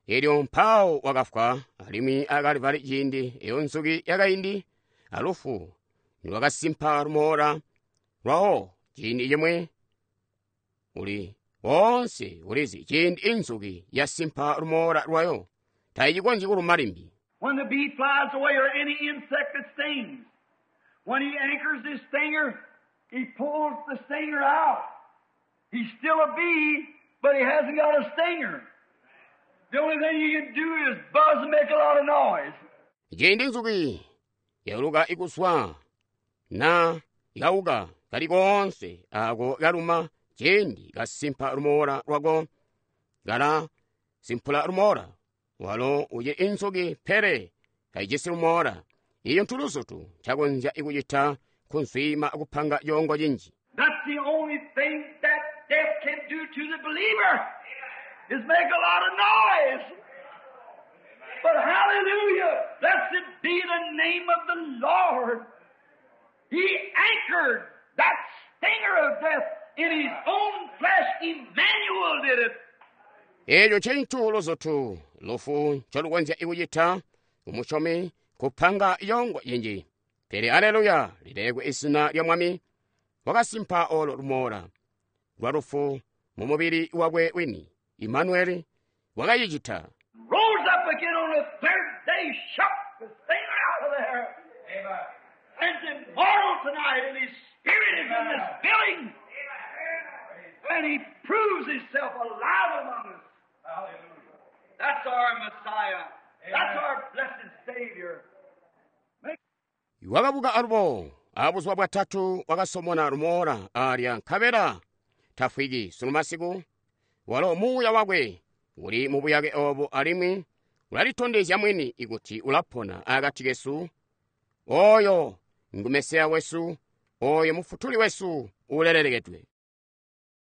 Elyo mpawo wakafwa alimwi a Kalvari ciindi eyo nzuki yakaindi alufu nilwakasimpa lumoola lwawo ciindi cimwe uli wonse ulizi ciindi inzuki yasimpa lumoola lwayo tayicikonzyi kuluma limbi. When the bee flies away or any insect that stings, when he anchors his stinger, he pulls the stinger out. He's still a bee, but he hasn't got a stinger. The only thing he can do is buzz and make a lot of noise. Ciindi nzuki yauluka ikuswa na ikauka kali koonse ako kaluma ciindi kasimpa lumoola lwako kala simpula lumoola walo ucili inzuki pele kayijisi lumoola iyo ntuluzutu ncakonzya ikucita kunswiima akupanga coongo cinji. That's the only thing that death can do to the believer is make a lot of noise. But hallelujah, blessed be the name of the Lord. He anchored that stinger of death in his own flesh. Emmanuel did it. Eco ncintu luzutu lufu ncolukonzya ikucita kumusyomi kupanga yongo yinji. Pele aleluya, lilekwe izina lya Mwami wakasimpa olo lumoola lwa lufu mu mubili wakwe wini. Imanueli wakacicita. Rose up again on the third day, shook the stinger out of there. And is immortal tonight, and his spirit is in this building. And he proves himself alive among us. That's our Messiah. That's our blessed Savior. Wakabuka alubo abuzuba bwatatu wakasomona lumoola alya nkabela tafwiki sunu masiku walo muuya wakwe uli mu buyake obo alimwi ulalitondezya mwini ikuti ulapona akati kesu. Oyo ngu Mesiya wesu, oyo mufutuli wesu ulelelekedwe.